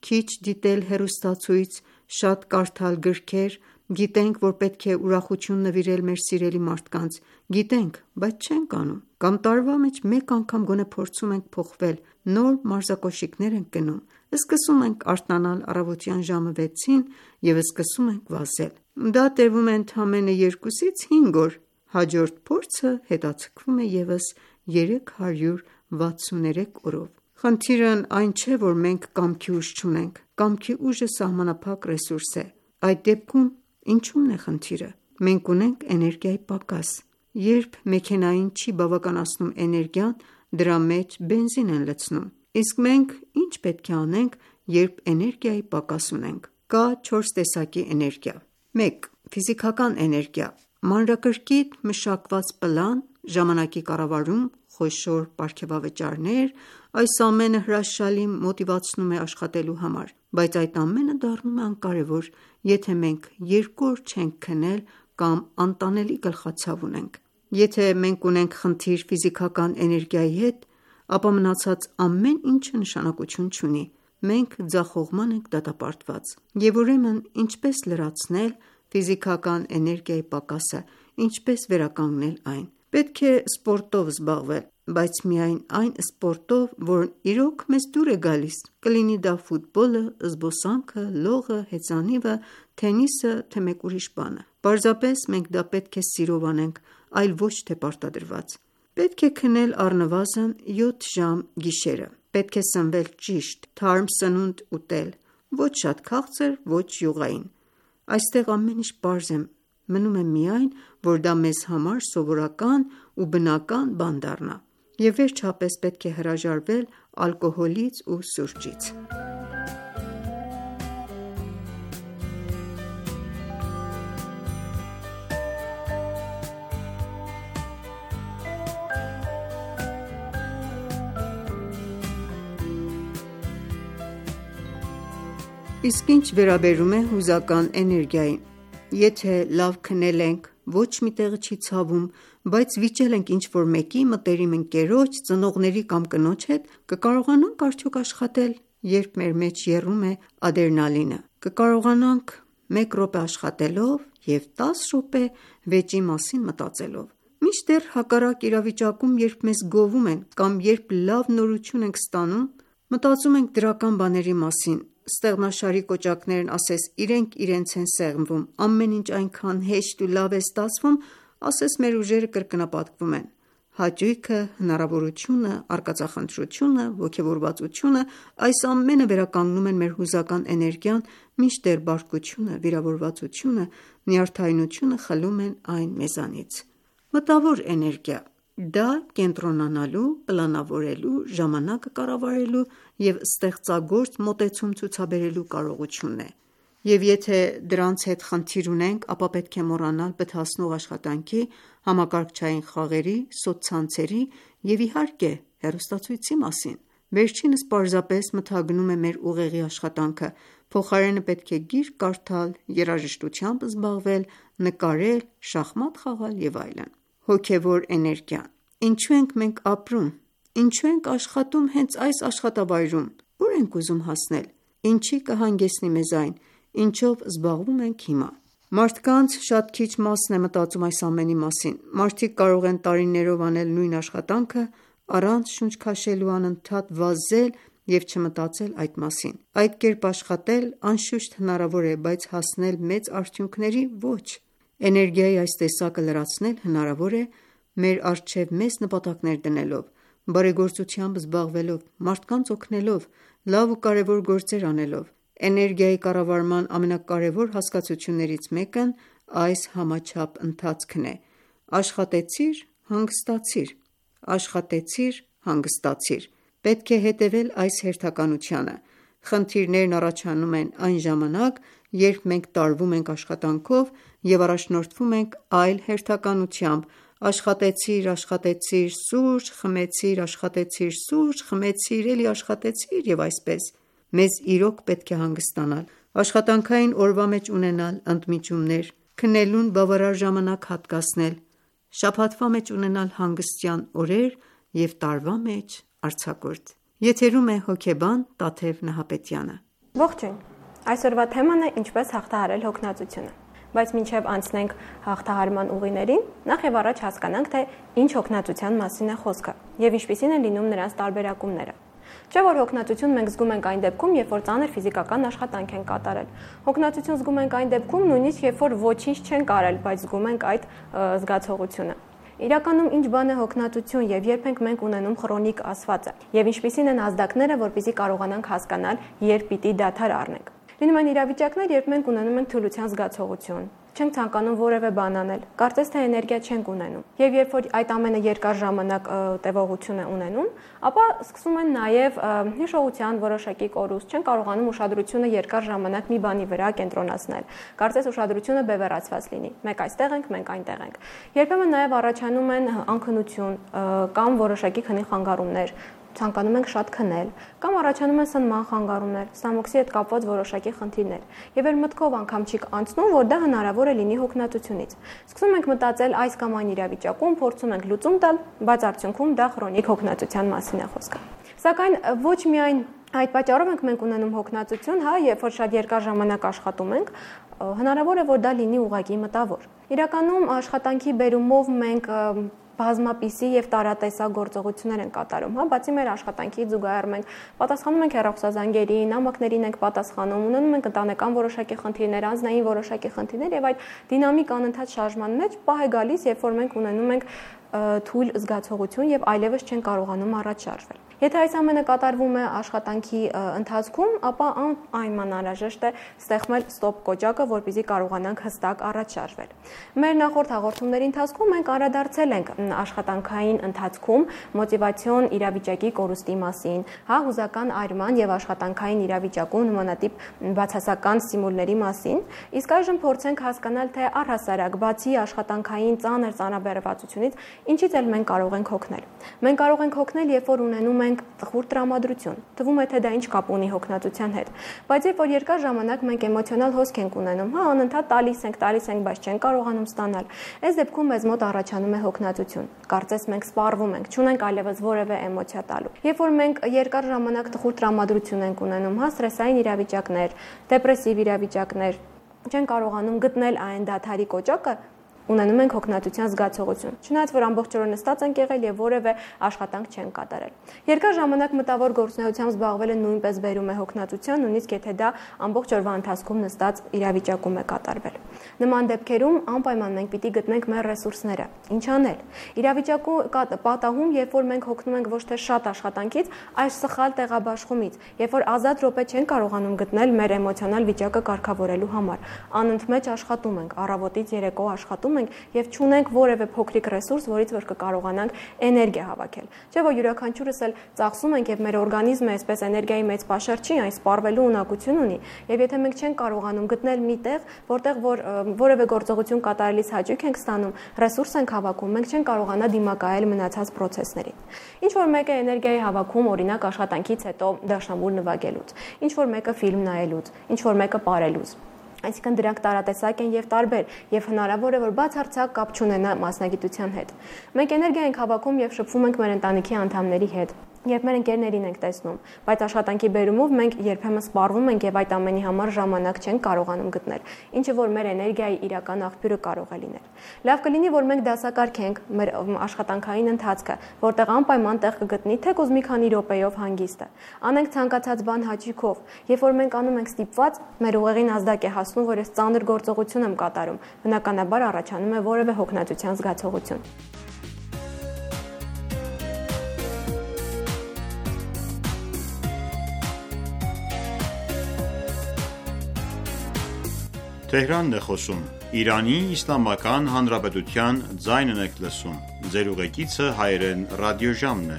քիչ դիտել հեռուստացույց, շատ կարդալ գրքեր, գիտենք, որ պետք է ուրախություն նվիրել մեր սիրելի մարդկանց, գիտենք, բայց չենք անում։ Կամ տարվա մեջ մեկ անգամ գոնե փորձում ենք փոխվել, նոր մարզակոշիկներ ենք գնում, սկսում ենք արթնանալ առավոտյան ժամը 6-ին և սկսում ենք վազել։ Դա տևում է ընդամենը 2-ից 5 օր, հաջորդ փորձը հետաձգվում է ևս 363 օրով։ Խնդիրն այն չէ, որ մենք կամքի ուժ չունենք, կամքի ուժը սահմանափակ ռեսուրս է։ Այդ դեպքում ինչու՞մն է խնդիրը։ Մենք ունենք էներգիայի պակաս։ Երբ մեքենային չի բավականացնում էներգիան, դրա մեջ բենզին են լցնում։ Իսկ մենք ինչ պետք է անենք, երբ էներգիայի պակաս ունենք։ Կա 4 տեսակի էներգիա։ 1. Ֆիզիկական էներգիա։ Մանրակրկիտ մշակված պլան, ժամանակի կառավարում, խոշոր պարգևավճարներ, այս ամենը հրաշալի մոտիվացնում է աշխատելու համար, բայց այդ ամենը դառնում է անկարևոր, եթե մենք 2 օր չենք քնել կամ անտանելի գլխացավ ունենք։ Եթե մենք ունենք խնդիր ֆիզիկական էներգիայի հետ, ապա մնացած ամեն ինչը նշանակություն չունի։ Մենք ձախողման ենք դատապարտված։ Եվ ուրեմն ինչպես լրացնել ֆիզիկական էներգիայի պակասը, ինչպես վերականգնել այն։ Պետք է սպորտով զբաղվել, բայց միայն այն սպորտով, որն իրոք մեզ դուր է գալիս, կլինի դա ֆուտբոլը, զբոսանքը, լողը, հեծանիվը, թենիսը, թե մեկ ուրիշ բանը։ Պարզապես մենք դա պետք է սիրով անենք, այլ ոչ թե պարտադրված։ Պետք է քնել առնվազն 7 ժամ գիշերը։ Պետք է սնվել ճիշտ, թարմ սնունդ ուտել, ոչ շատ քաղցր, ոչ յուղային։ Այստեղ ամեն ինչ պարզ է, մնում է միայն, որ դա մեզ համար սովորական ու բնական բան դառնա։ Եվ վերջապես պետք է հրաժարվել ալկոհոլից ու սուրճից։ Իսկ ինչ վերաբերում է հուզական էներգիային, եթե լավ քնել ենք, ոչ մի տեղը չի ցավում, բայց վիճել ենք ինչ-որ մեկի մտերիմ ընկերոջ, ծնողների կամ կնոջ հետ, կկարողանանք արդյոք աշխատել, երբ մեր մեջ եռում է ադրենալինը։ Կկարողանանք 1 րոպե աշխատելով և 10 րոպե վեճի մասին մտածելով։ Մինչդեռ հակառակ իրավիճակում, երբ մեզ գովում են կամ երբ լավ նորություն ենք ստանում, մտածում ենք դրական բաների մասին, ստեղնաշարի կոճակներն ասես իրենք իրենց են սեղմվում, ամեն ինչ այնքան հեշտ ու լավ է ստացվում, ասես մեր ուժերը կրկնապատկվում են։ Հաճույքը, հնարավորությունը, արկածախնդրությունը, ոգևորվածությունը, այս ամենը վերականգնում են մեր հուզական էներգիան, մինչդեռ բարկությունը, վիրավորվածությունը, նյարդայնությունը խլում են այն մեզանից։ Մտավոր էներգիա դա կենտրոնանալու, պլանավորելու, ժամանակը կառավարելու և ստեղծագործ մոտեցում ցուցաբերելու կարողությունն է, և եթե դրանց հետ խնդիր ունենք, ապա պետք է մոռանալ բթացնող աշխատանքի, համակարգչային խաղերի, սոցցանցերի և իհարկե հեռուստացույցի մասին։ Վերջինս պարզապես մթագնում է մեր ուղեղի աշխատանքը, փոխարենը պետք է գիրք կարդալ, երաժշտությամբ զբաղվել, նկարել, շախմատ խաղալ և այլն։ Հոգևոր էներգիան Ինչու ենք մենք ապրում, ինչու ենք աշխատում հենց այս աշխատավայրում, ուր ենք ուզում հասնել, ինչի կհանգեցնի մեզ այն, ինչով զբաղվում ենք հիմա։ Մարդկանց շատ քիչ մասն է մտածում այս ամենի մասին։ Մարդիկ կարող են տարիներով անել նույն աշխատանքը, առանց շունչ քաշելու անընդհատ վազել և չմտածել այդ մասին։ Այդ կերպ աշխատել անշուշտ հնարավոր է, բայց հասնել մեծ արդյունքների ոչ։ Էներգիայի այս տեսակը լրացնել հնարավոր է մեր առջև մեծ նպատակներ դնելով, բարեգործությամբ զբաղվելով, մարդկանց օգնելով, լավ ու կարևոր գործեր անելով։ Էներգիայի կառավարման ամենակարևոր հասկացություններից մեկն այս համաչափ ընթացքն է՝ աշխատեցիր, հանգստացիր, աշխատեցիր, հանգստացիր։ Պետք է հետևել այս հերթականությանը։ Խնդիրներն առաջանում են այն ժամանակ, երբ մենք տարվում ենք աշխատանքով և առաջնորդվում ենք այլ հերթականությամբ՝ աշխատեցիր, աշխատեցիր, սուրճ խմեցիր, աշխատեցիր, սուրճ խմեցիր, էլի աշխատեցիր և այսպես։ Մեզ իրոք պետք է հանգստանալ, աշխատանքային օրվա մեջ ունենալ ընդմիջումներ, քնելուն բավարար ժամանակ հատկացնել, շաբաթվա մեջ ունենալ հանգստյան օրեր և տարվա մեջ արձակուրդ։ Եթերում է հոգեբան Տաթև Նահապետյանը։ Ողջույն։ Այսօրվա թեման է ինչպես հաղթահարել հոգնածությունը։ Բայց մինչև անցնենք հաղթահարման ուղիներին, նախ եւ առաջ հասկանանք, թե ինչ հոգնածության մասին է խոսքը եւ ինչպիսին են լինում նրանց տարբերակումները։ Չէ՞ որ հոգնածություն մենք զգում ենք այն դեպքում, երբ որ ծանր ֆիզիկական աշխատանք ենք կատարել։ Հոգնածություն զգում ենք այն դեպքում, նույնիսկ երբ որ ոչինչ չենք արել, բայց զգում ենք այդ զգացողությունը։ Իրականում ինչ բան է հոգնածություն եւ երբ ենք մենք ունենում քրոնիկ ասվածը եւ ինչպիսին են ազդակները, որպեսզի կարողանանք հասկանալ, երբ պիտի դադար առնենք։ Լինում են իրավիճակներ, երբ մենք ունենում ենք թուլության զգացողություն, չենք ցանկանում որևէ բան անել, կարծես թե էներգիա չենք ունենում։ Եվ երբ որ այդ ամենը երկար ժամանակ տևողություն է ունենում, ապա սկսում են նաև հիշողության որոշակի կորուստ, չեն կարողանում ուշադրությունը երկար ժամանակ մի բանի վրա կենտրոնացնել։ Կարծես ուշադրությունը բևեռացված լինի։ Մեկ այստեղ ենք, մենք այնտեղ ենք։ Երբեմն նաև առաջանում են անքնություն կամ որոշակի քնի խանգարումներ, ցանկանում ենք շատ քնել, կամ առաջանում են սնման խանգարումներ, ստամոքսի հետ կապված որոշակի խնդիրներ։ Եվ մեր մտքով անգամ չի անցնում, որ դա հնարավոր է լինի հոգնածությունից։ Սկսում ենք մտածել այս կամ այն իրավիճակում, փորձում ենք լուծում տալ, բայց արդյունքում դա քրոնիկ հոգնածության մասին է խոսքը։ Սակայն ոչ միայն այդ պատճառով ենք մենք ունենում հոգնածություն, երբ որ շատ երկար ժամանակ աշխատում ենք, հնարավոր է որ դա լինի ուղղակի մտավոր։ Իրականում աշխատանքի բերումով մենք բազմապիսի եւ տարատեսակ գործողություններ են կատարում, բացի մեր աշխատանքից զուգահեռ մենք պատասխանում ենք հեռախոսազանգերին, նամակներին ենք պատասխանում, ունենում ենք ընտանեկան որոշակի խնդիրներ, անձնային որոշակի խնդիրներ եւ այդ դինամիկ անընդհատ շարժման մեջ պահ է գալիս, երբ որ մենք ունենում ենք թույլ զգացողություն եւ այլևս չեն կարողանում առաջ շարժվել։ Եթե այս ամենը կատարվում է աշխատանքի ընթացքում, ապա այնքան անհրաժեշտ է ստեղծել ստոպ կոճակը, որպեսզի կարողանանք հստակ առաջ շարժվել։ Մեր նախորդ հաղորդումների ընթացքում մենք անդրադարձել ենք աշխատանքային ընթացքում մոտիվացիոն իրավիճակի կորուստի մասին, հուզական այրման եւ աշխատանքային իրավիճակում նմանատիպ բացասական ստիմուլների մասին, իսկ այժմ փորձենք հասկանալ, թե առհասարակ բացի աշխատանքային ծանր ծանրաբեռվածությունից ինչից էլ մենք կարող ենք հոգնել։ Մենք կարող ենք հոգնել, երբ որ ունենում ենք տխուր տրամադրություն։ Թվում է, թե դա ինչ կապ ունի հոգնածության հետ։ Բայց երբ որ երկար ժամանակ մենք էմոցիոնալ հոսք ենք ունենում, անընդհատ տալիս ենք, բայց չենք կարողանում ստանալ, այս դեպքում մեզ մոտ առաջանում է հոգնածություն։ Կարծես մենք սպառվում ենք, չունենք այլևս որևէ էմոցիա տալու։ Երբ որ մենք երկար ժամանակ տխուր տրամադրություն ենք ունենում, սթրեսային իրավիճակներ, դեպրեսիվ իրավիճակներ, չեն կարողանում գտնել այն դադարի կոճակը, ունենում ենք հոգնածության զգացողություն, չնայած որ ամբողջ օրը նստած ենք եղել եւ որևէ աշխատանք չենք կատարել։ Երկար ժամանակ մտավոր գործունեությամբ զբաղվելը նույնպես բերում է հոգնածության, նույնիսկ եթե դա ամբողջ օրվա ընթացքում նստած իրավիճակում է կատարվել։ Նման դեպքերում անպայման մենք պիտի գտնենք մեր ռեսուրսները։ Ինչ անել։ Իրավիճակում պատահում, երբ որ մենք հոգնում ենք ոչ թե շատ աշխատանքից, այլ սխալ տեղաբաշխումից, երբ որ ազատ րոպե չենք կարողանում գտնել մեր էմոցիոնալ վիճակը կարգավորելու համար, անընդմեջ աշխատում ենք, առավոտից երեկո աշխատում ենք եւ չունենք որևէ փոքրիկ ռեսուրս, որից որ կկարողանանք էներգիա հավաքել։ Չէ՞ որ յուրաքանչյուրս էլ ծախսում ենք եւ մեր օրգանիզմը այսպես էներգիայի մեծ պաշար չի, այն սպառվելու ունակություն ունի։ Եվ եթե մենք չենք կարողանում գտնել մի տեղ, որտեղ որ որևէ գործողություն կատարելիս հաճույք ենք ստանում, ռեսուրս ենք հավաքում, մենք չենք կարողանա դիմակայել մնացած process-ներին։ Ինչ որ մեկը էներգիայի հավաքում, օրինակ աշխատանքից հետո դաշնամուր նվագելուց, ինչ որ մեկը ֆիլմ նայելուց, ինչ որ մեկը պարելուց։ Այսինքն դրանք տարատեսակ են եւ տարբեր, եւ հնարավոր է որ բացարձակ կապ չունենա մասնագիտության հետ։ Մենք էներգիա ենք հավաքում եւ շփվում ենք մեր ընտանիքի անդամների հետ, երբ մեր ընկերներին ենք տեսնում, բայց աշխատանքի բերումով մենք երբեմն սպառվում ենք եւ այդ ամենի համար ժամանակ չենք կարողանում գտնել, ինչը որ մեր էներգիայի իրական աղբյուրը կարող է լինել։ Լավ կլինի, որ մենք դասակարգենք մեր աշխատանքային ընթացքը, որտեղ անպայման տեղ կգտնի թեկուզ մի քանի րոպեով հանգիստը։ Անենք ցանկացած բան հաճույքով, երբ որ մենք անում ենք ստիպված, մեր ուղեղին ազդակ է հասնում, որ ես ծանր գործողություն եմ կատարում, բնականաբար առաջանում է որևէ հոգնածության զգացողություն։ Թեհրանն է խոսում։ Իրանի Իսլամական Հանրապետության ձայնն եք լսում։ Ձեր ուղեկիցը հայերեն ռադիոժամն է։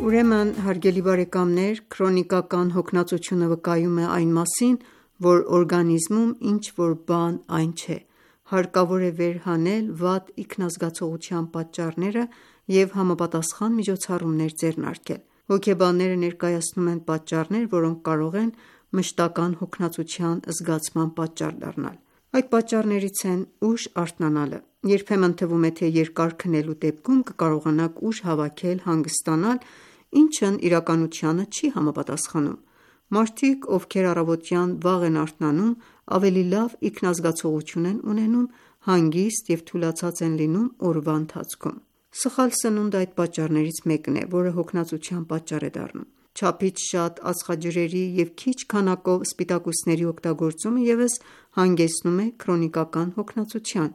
Ուրեմն, հարգելի բարեկամներ, քրոնիկական հոգնածությունը վկայում է այն մասին, որ օրգանիզմում ինչ որ բան այն չէ։ Հարկավոր է վերհանել վատ ինքնազգացողության պատճառները և համապատասխան միջոցառումներ ձեռնարկել։ Հոգեբանները ներկայացնում են պատճառներ, որոնք կարող են մշտական հոգնածության զգացման պատճառ դառնալ։ Այդ պատճառներից են ուշ արթնանալը։ Երբեմն թվում է, թե երկար քնելու դեպքում կկարողանաք ուժ հավաքել, հանգստանալ, ինչն իրականությանը չի համապատասխանում։ Մարդիկ, ովքեր առավոտյան վաղ են արթնանում, ավելի լավ ինքնազգացողություն են ունենում, հանգիստ և թուլացած են լինում օրվա ընթացքում։ Սխալ սնունդը այդ պատճառներից մեկն է, որը հոգնածության պատճառ է դառնում։ Չափից շատ ածխաջրերի և քիչ քանակով սպիտակուցների օգտագործումը ևս հանգեցնում է քրոնիկական հոգնածության։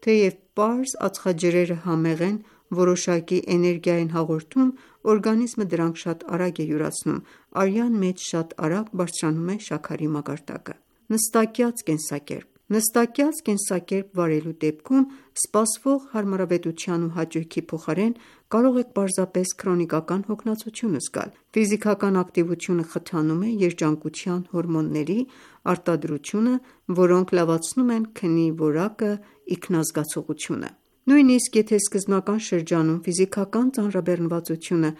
Թեև պարզ ածխաջրերը համեղ են, որոշակի էներգիա են հաղորդում, օրգանիզմը դրանք շատ արագ է յուրացնում, արյան մեջ շատ արագ բարձրանում է շաքարի մակարդակը։ Նստակյաց կենսակերպ։ Նստակյաց կենսակերպ վարելու դեպքում սպասվող հարմարավետության ու հաճույքի փոխարեն կարող եք պարզապես քրոնիկական հոգնածություն զգալ։ Ֆիզիկական ակտիվությունը խթանում է երջանկության հորմոնների արտադրությունը, որոնք լավացնում են քնի որակը, ինքնազգացողությունը։ Նույնիսկ եթե սկզբնական շրջանում ֆիզիկական ծանրաբեռնվածությունը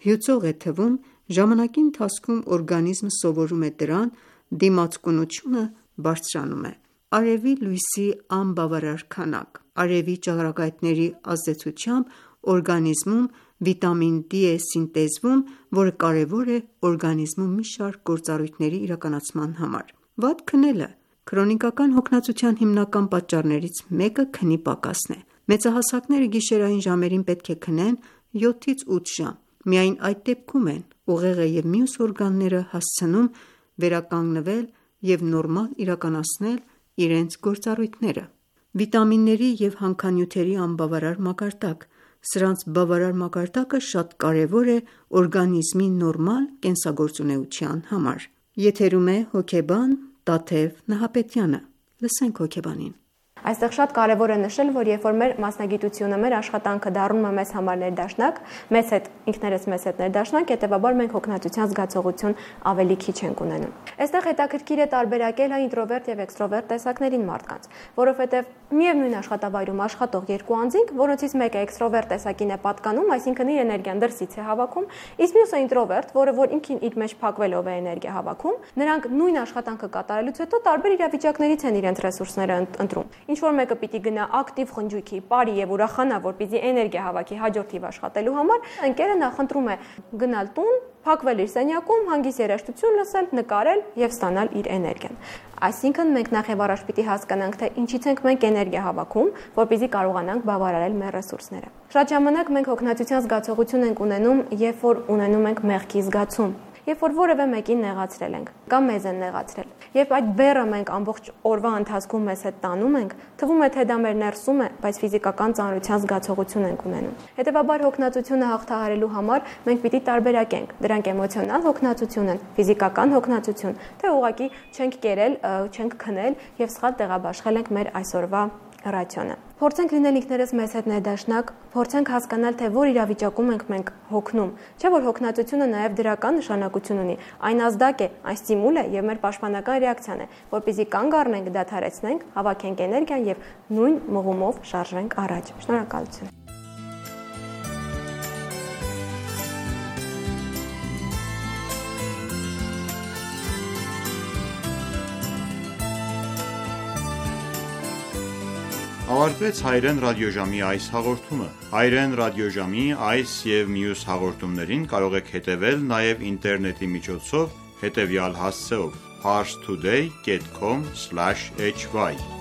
հյուծող է թվում, ժամանակի ընթացքում օրգանիզմը սովորում է դրան, դիմացկունությունը բարձրանում է։ Արևի լույսի անբավարար քանակ։ Արևի ճառագայթների ազդեցությամբ օրգանիզմում վիտամին D է սինտեզվում, որը կարևոր է օրգանիզմում մի շարք գործառույթների իրականացման համար։ Վատ քնելը քրոնիկական հոգնածության հիմնական պատճառներից մեկը քնի պակասն է։ Մեծահասակները գիշերային ժամերին պետք է քնեն 7-ից 8 ժամ։ Միայն այդ դեպքում են ուղեղը և մյուս օրգանները հասցնում վերականգնվել և նորմալ իրականացնել իրենց գործառույթները։ Վիտամինների և հանքանյութերի անբավարար մակարդակ։ Սրանց բավարար մակարդակը շատ կարևոր է օրգանիզմի նորմալ կենսագործունեության համար։ Եթերում է հոգեբան Տաթև Նահապետյանը։ Լսենք հոգեբանին։ Այստեղ շատ կարևոր է նշել, որ երբ որ մեր մասնագիտությունը, մեր աշխատանքը դառնում է մեզ համար ներդաշնակ, մեզ հետ ինքներս մեզ հետ ներդաշնակ, հետեւաբար մենք հոգնածության զգացողություն ավելի քիչ ենք ունենում։ Այստեղ հետաքրքիր է տարբերակել ինտրովերտ եւ էքստրովերտ տեսակներին մարդկանց, որովհետեւ միևնույն աշխատավայրում աշխատող երկու անձինք, որոնցից մեկը էքստրովերտ տեսակին է պատկանում, այսինքն իր էներգիան դրսից է հավաքում, իսկ մյուսը ինտրովերտ, որը որ ինքին իր մեջ փակվելով է էներգիա հավաքում, նրանք նույն աշխատանքը կատարելուց հետո տարբեր իրավիճակներից են իրենց ռեսուրսները ընտրում։ ինչ-որ մեկը պիտի գնա ակտիվ խնջույքի, բարի եւ ուրախանա, որպեսզի էներգիա հավաքի հաջորդ թիվ աշխատելու համար, ընկերը նախընտրում է գնալ տուն, փակվել իր սենյակում, հանգիստ երաժշտություն լսել, նկարել եւ ստանալ իր էներգիան։ Այսինքն մենք նախ եւ առաջ պիտի հասկանանք, թե ինչից ենք մենք էներգիա հավաքում, որպեսզի կարողանանք բավարարել մեր ռեսուրսները։ Շատ ժամանակ մենք հոգնածության զգացողություն ենք ունենում, երբ որ ունենում ենք մեղքի զգացում, երբ որ որևէ մեկին նեղացրել ենք կամ մեզ են նեղացրել։ Երբ այդ բեռը մենք ամբողջ օրվա ընթացքում մեզ հետ տանում ենք, թվում է թե դա մեր ներսում է, բայց ֆիզիկական ծանրության զգացողություն ենք ունենում։ Հետևաբար հոգնածությունը հաղթահարելու համար մենք պիտի տարբերակենք դրանք էմոցիոնալ հոգնածություն են, ֆիզիկական հոգնածություն, թե ուղղակի չենք կերել, չենք քնել եւ սխալ տեղաբաշխել ենք մեր այսօրվա ռացիոնը։ Փորձենք լինել ինքներս մեզ հետ ներդաշնակ, փորձենք հասկանալ, թե որ իրավիճակում ենք մենք հոգնում։ Չէ՞ որ հոգնածությունը նաև դրական նշանակություն ունի։ Այն ազդակ է, այն ստիմուլ է եւ մեր պաշտպանական ռեակցիան է, որպեսզի կանգ առնենք, դադարեցնենք, հավաքենք էներգիան եւ նույն մղումով շարժվենք առաջ։ Շնորհակալություն։ Ավարտվեց հայրեն ռադիոժամի այս հաղորդումը։ Հայրեն ռադիոժամի այս եւ մյուս հաղորդումներին կարող եք հետևել նաեւ ինտերնետի միջոցով հետևյալ հասցեով parstoday.com/hy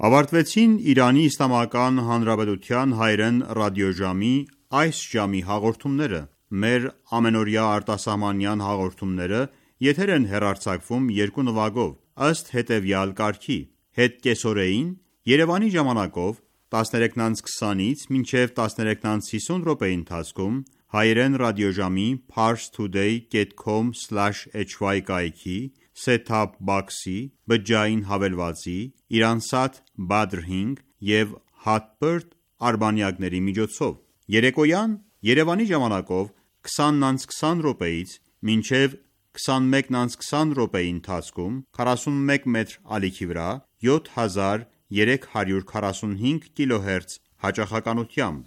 Ավարտվեցին Իրանի Իսլամական Հանրապետության հայրեն ռադիոժամի այս ժամի հաղորդումները։ Մեր ամենօրյա արտասահմանյան հաղորդումները եթեր են հեռարձակվում երկու նվագով, ըստ հետևյալ կարգի. հետ կեսօրեին Երևանի ժամանակով 13:20-ից մինչև 13:50 րոպեի ընթացքում հայրեն ռադիոժամի parstoday.com/hy կայքի set-top box-ի, բջջային հավելվածի, Iransat Badr 5 եւ Hotbird արբանյակների միջոցով։ Երեկոյան Երևանի ժամանակով 20:20 րոպեից մինչև 21:20 րոպեի ընթացքում 41 մետր ալիքի վրա 7345 կիլոհերց հաճախականությամբ